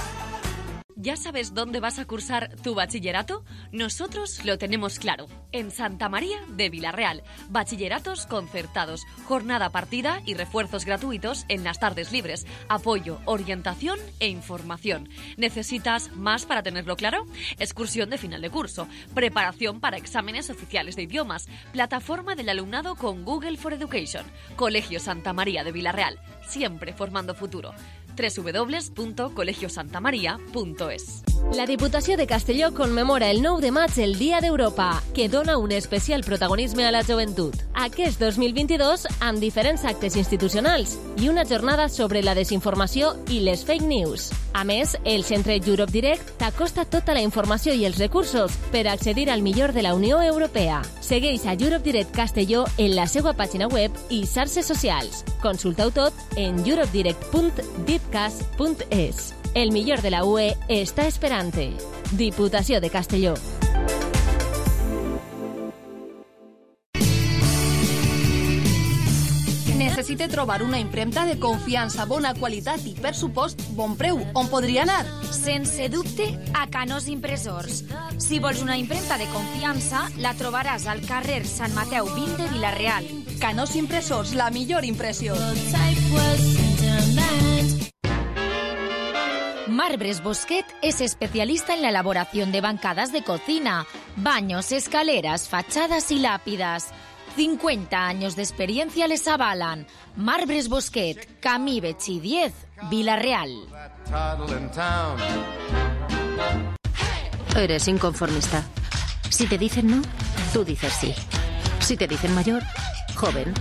¿Ya sabes dónde vas a cursar tu bachillerato? Nosotros lo tenemos claro. En Santa María de Vilarreal. Bachilleratos concertados, jornada partida y refuerzos gratuitos en las tardes libres. Apoyo, orientación e información. ¿Necesitas más para tenerlo claro? Excursión de final de curso. Preparación para exámenes oficiales de idiomas. Plataforma del alumnado con Google for Education. Colegio Santa María de Vilarreal. Siempre formando futuro. www.colegiosantamaria.es. La Diputació de Castelló conmemora el 9 de maig el Dia d'Europa, que dona un especial protagonisme a la joventut. Aquest 2022, amb diferents actes institucionals i una jornada sobre la desinformació i les fake news. A més, el Centre Europe Direct t'acosta tota la informació i els recursos per accedir al millor de la Unió Europea. Segueix a Europe Direct Castelló en la seva pàgina web i xarxes socials. Consulta-ho tot en europedirect.dipcas.es. El millor de la UE està esperant-te. Diputació de Castelló. Necessite trobar una impremta de confiança, bona qualitat i, per supost, bon preu. On podria anar? Sense dubte, a Canós Impressors. Si vols una impremta de confiança, la trobaràs al carrer Sant Mateu 20 de Vilarreal. Canós Impressors, la millor impressió. Marbres Bosquet es especialista en la elaboración de bancadas de cocina, baños, escaleras, fachadas y lápidas. 50 años de experiencia les avalan. Marbres Bosquet, Camí Betxí 10, Vilarreal. Eres inconformista. Si te dicen no, tú dices sí. Si te dicen mayor, joven.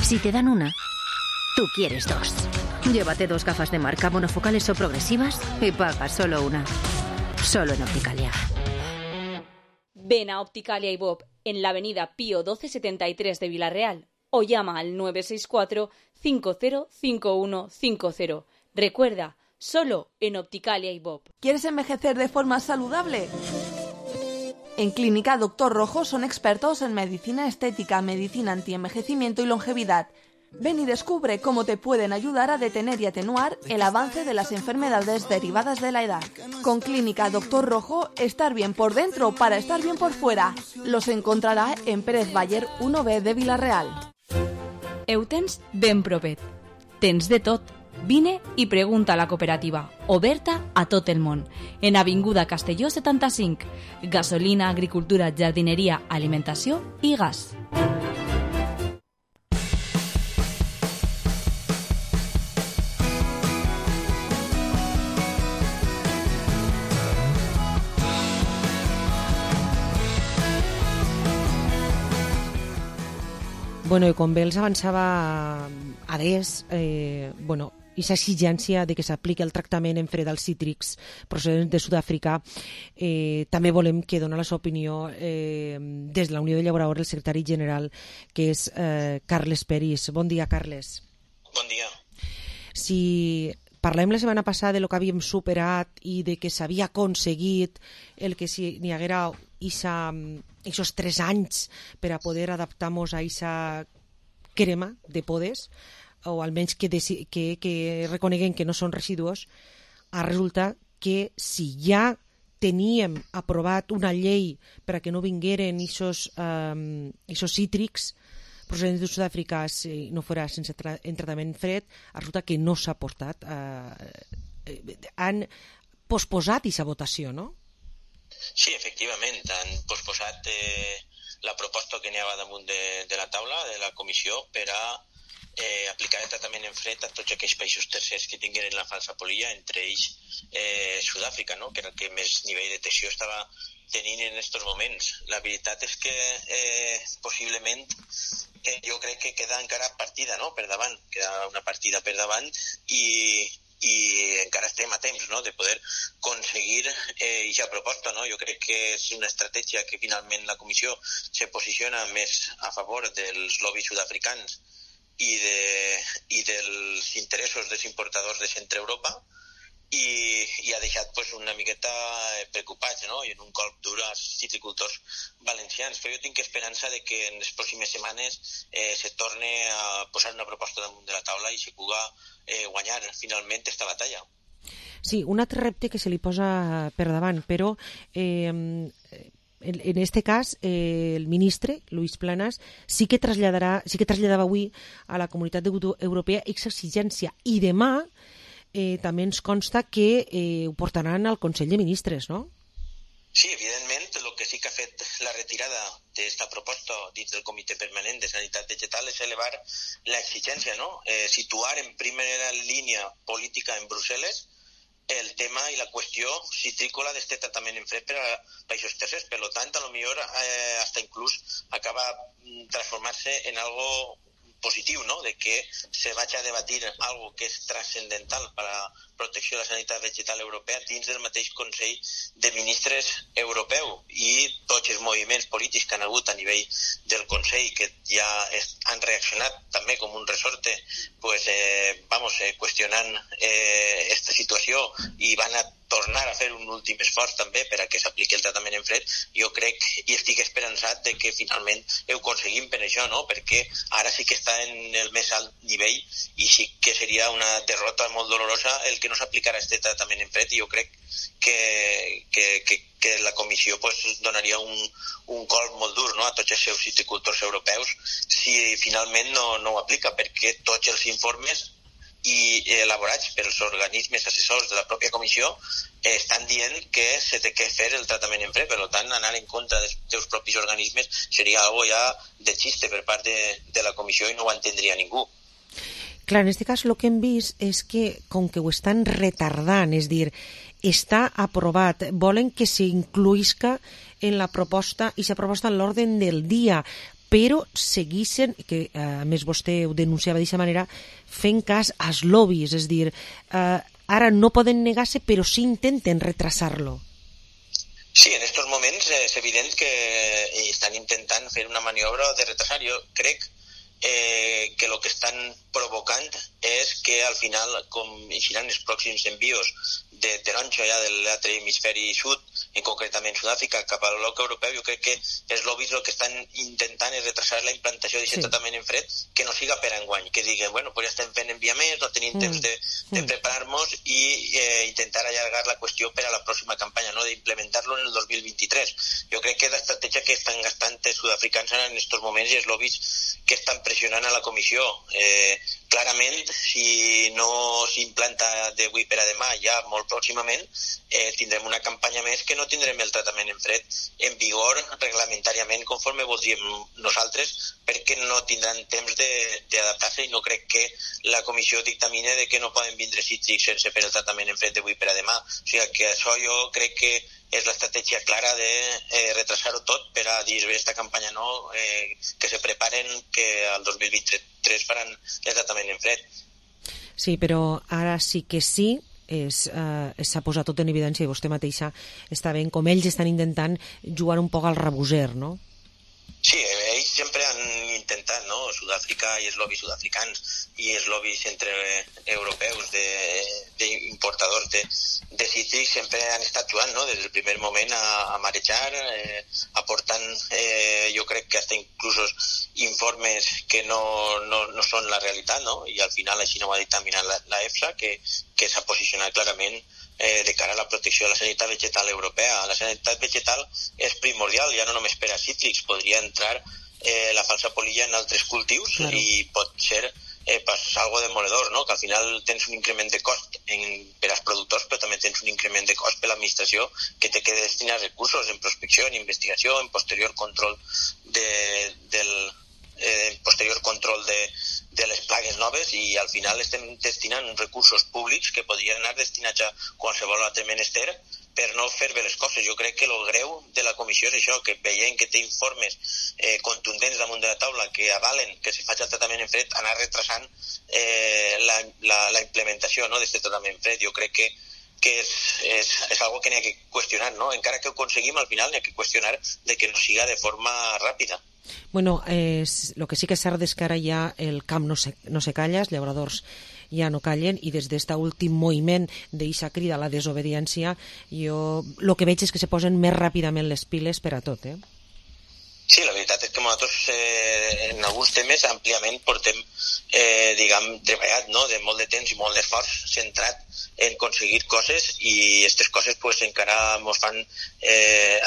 Si te dan una, tú quieres dos. Llévate 2 gafas de marca monofocales o progresivas y paga solo una. Solo en Opticalia. Ven a Opticalia y Bob en la avenida Pío 1273 de Vilarreal o llama al 964 505150. Recuerda, solo en Opticalia y Bob. ¿Quieres envejecer de forma saludable? En Clínica Doctor Rojo son expertos en medicina estética, medicina antienvejecimiento y longevidad. Ven y descubre cómo te pueden ayudar a detener y atenuar el avance de las enfermedades derivadas de la edad. Con Clínica Doctor Rojo, estar bien por dentro para estar bien por fuera. Los encontrará en Pérez Bayer 1B de Vilarreal. Eutens ben propet. Tens de tot. Vine i pregunta a la cooperativa, oberta a tot el món. En Avinguda Castelló 75. Gasolina, agricultura, jardineria, alimentació i gas. Bueno, i com bé els avançava Adés, aquesta exigència de que s'apliqui el tractament en fre dels cítrics procedents de Sud-àfrica, també volem que dona la seva opinió des de la Unió de Llauradors el secretari general, que és Carles Peris. Bon dia, Carles. Bon dia. Si parlem la setmana passada de lo que havíem superat i de que s'havia aconseguit el que si n'hi haguera esos 3 anys per a poder adaptar-nos a aquesta crema de podes, o almenys que reconeguen que no són residus, resulta que si ja teníem aprovat una llei per a que no vingueren esos cítrics procedents de Sud-àfrica si no fora sense en tractament fred, resulta que no s'ha portat. Han posposat aquesta votació, no? Sí, efectivament, han posposat la proposta que n'hi havia damunt de la taula de la comissió per a aplicar el tractament en fred a tots aquells països tercers que tingueren la falsa polilla, entre ells Sud-àfrica, no? Que era el que més nivell de tensió estava tenint en aquests moments. La veritat és que possiblement jo crec que queda encara partida, no? Per davant, queda una partida per davant i encara estem a temps, no?, de poder aconseguir aquesta proposta, no? Jo crec que és una estratègia que finalment la comissió se posiciona més a favor dels lobbies sud-africans i dels interessos dels importadors de Centre Europa i ha deixat pues, una miqueta preocupats, no?, i en un colp dur als citricultors valencians. Però jo tinc esperança de que en les pròximes setmanes se torne a posar una proposta damunt de la taula i se puga guanyar finalment esta batalla. Sí, un altre repte que se li posa per davant, però en este cas el ministre, Luis Planas, sí que traslladava avui a la Comunitat Europea aquesta exigència, i demà també ens consta que ho portaran al Consell de Ministres, no? Sí, evidentment, el que sí que ha fet la retirada d'esta proposta dins del Comitè Permanent de Sanitat Vegetal és elevar l'exigència, no? Situar en primera línia política en Brussel·les el tema i la qüestió citrícola d'este tractament en fred per a països tercers. Per tant, a lo millor hasta inclús acaba transformar-se en algo positiu, no? De que se vagi a debatir algo que és transcendental per a la protecció de la sanitat vegetal europea dins del mateix Consell de Ministres europeu, i tots els moviments polítics que han hagut a nivell del Consell, que ja han reaccionat també com un resorte, qüestionant esta situació, i van a tornar a fer un últim esforç també per a que s'apliqui el tractament en fred. Jo crec i estic esperançat de que finalment ho aconseguim per això, no? Perquè ara sí que està en el més alt nivell, i sí que seria una derrota molt dolorosa el que no s'aplicarà este tractament en fred, i jo crec que la Comissió donaria un colp molt dur, no?, a tots els seus citricultors europeus si finalment no ho aplica, perquè tots els informes i elaborats pels organismes assessors de la pròpia comissió estan dient que se té que fer el tractament en fred. Per tant, anar en contra dels teus propis organismes seria algo ja de xiste per part de la comissió, i no ho entendria ningú. Clar, en aquest cas el que hem vist és que, com que ho estan retardant, és dir, està aprovat, volen que s'incluïsca en la proposta, i s'aproposta en l'ordre del dia, però segueixen, que a més vostè ho denunciava d'aquesta manera, fent cas als lobbies, és dir, ara no poden negar-se, però sí intenten retrasar-lo. Sí, en aquests moments és evident que estan intentant fer una maniobra de retrasar. Jo crec que el que estan provocant és que al final, com seran els pròxims envios de taronja ja de l'altre hemisferi sud, en concretament Sud-àfrica, cap al bloc europeu, jo crec que els lobbies el que estan intentant és retrasar la implantació d'aquest tractament en fred, que no siga per enguany, que diguen, bueno, pues ja estem fent enviaments, no tenim temps de preparar-nos, i intentar allargar la qüestió per a la pròxima campanya, no?, d'implementar-lo en el 2023. Jo crec que és l'estratègia que estan gastant els sud-africans en aquests moments, i els lobbies que estan pressionant a la comissió. Clarament, si no s'implanta d'avui per a demà, ja molt pròximament, tindrem una campanya més que no tindrem el tractament en fred en vigor reglamentàriament conforme voldríem nosaltres, perquè no tindran temps d'adaptar-se, i no crec que la comissió dictamine de que no poden vindre cítrics sense fer el tractament en fred d'avui per a demà. O sigui que això jo crec que és l'estratègia clara de retrasar-ho tot per a dir aquesta campanya no, que se preparen, que al 2023 faran el tractament en fred. Sí, però ara sí que sí, s'ha posat tot en evidència, i vostè mateixa està veient com ells estan intentant jugar un poc al rabuser, no? Sí, ells sempre han intentat, no?, Sud-àfrica i els lobbies sud-africans i els lobbies entre europeus d'importadors de cítrics sempre han estat jugant, no?, des del primer moment a marejar, aportant, jo crec que hasta inclús informes que no són la realitat, no?, i al final així no ho ha dictaminat la EFSA, que s'ha posicionat clarament de cara a la protecció de la sanitat vegetal europea. La sanitat vegetal és primordial, ja no només per a cítrics, podria entrar la falsa polilla en altres cultius, claro, i pot ser algo demoledor, no?, que al final tens un increment de cost per als productors, però també tens un increment de cost per l'administració, que té que destinar recursos en prospecció, en investigació, en posterior control de les plagues noves, i al final estem destinant recursos públics que podrien anar destinats a qualsevol altre menester per no fer bé les coses. Jo crec que el greu de la comissió és això, que veient que té informes contundents damunt de la taula que avalen que se faci el tractament en fred, anar retrasant la implementació, no?, d'aquest tractament en fred. Jo crec que és algo que n'hi ha que qüestionar, no? Encara que ho aconseguim, al final n'hi ha que qüestionar de que no siga de forma ràpida. Bueno, lo que sí que és cert és que ara ja el camp no se calla, els llauradors ja no callen, i des d'este últim moviment d'eixa crida a la desobediència, jo el que veig és que se posen més ràpidament les piles per a tot, Sí, la veritat és que nosaltres en alguns temes àmpliament portem, treballat, no?, de molt de temps i molt d'esforç centrat en aconseguir coses, i aquestes coses pues encara ens fan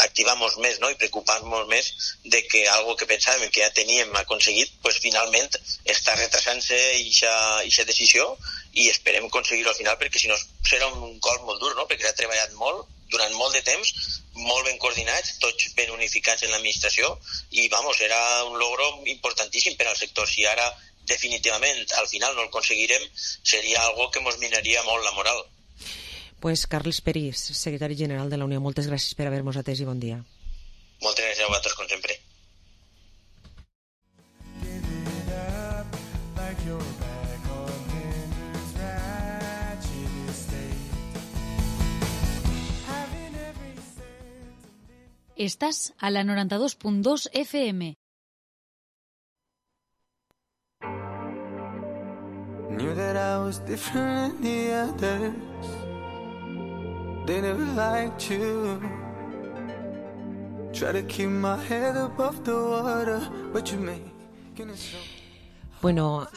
activar-nos més, no?, i preocupar-nos més de que algo que pensàvem que ja teníem aconseguit, pues finalment està retrasant-se aquesta decisió, i esperem aconseguir-ho al final, perquè si no serà un col molt dur, no?, perquè s'ha treballat molt durant molt de temps, molt ben coordinats, tots ben unificats en l'administració, i era un logro importantíssim per al sector. Si ara definitivament al final no el aconseguirem, seria algo que ens minaria molt la moral. Pues Carles Peris, secretari general de la Unió, moltes gràcies per haver-nos atès i bon dia. Moltes gràcies a vosaltres, com sempre. Estás a la 92.2 FM. Knew that I was different than the others. They never liked you. Try to keep my head above the water, but you making it so. Bueno,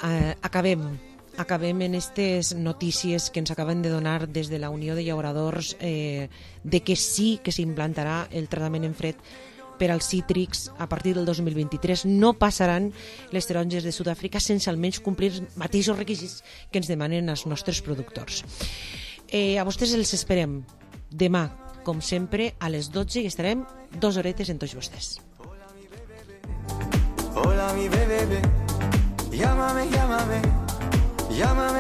acabem en aquestes notícies que ens acaben de donar des de la Unió de Llauradors de que sí que s'implantarà el tractament en fred per als cítrics a partir del 2023. No passaran les taronges de Sud-àfrica sense almenys complir els mateixos requisits que ens demanen els nostres productors. A vostès els esperem demà, com sempre, a les 12 i estarem 2 horetes en tots vostès. Hola mi bebé, llámame, llámame. Llámame.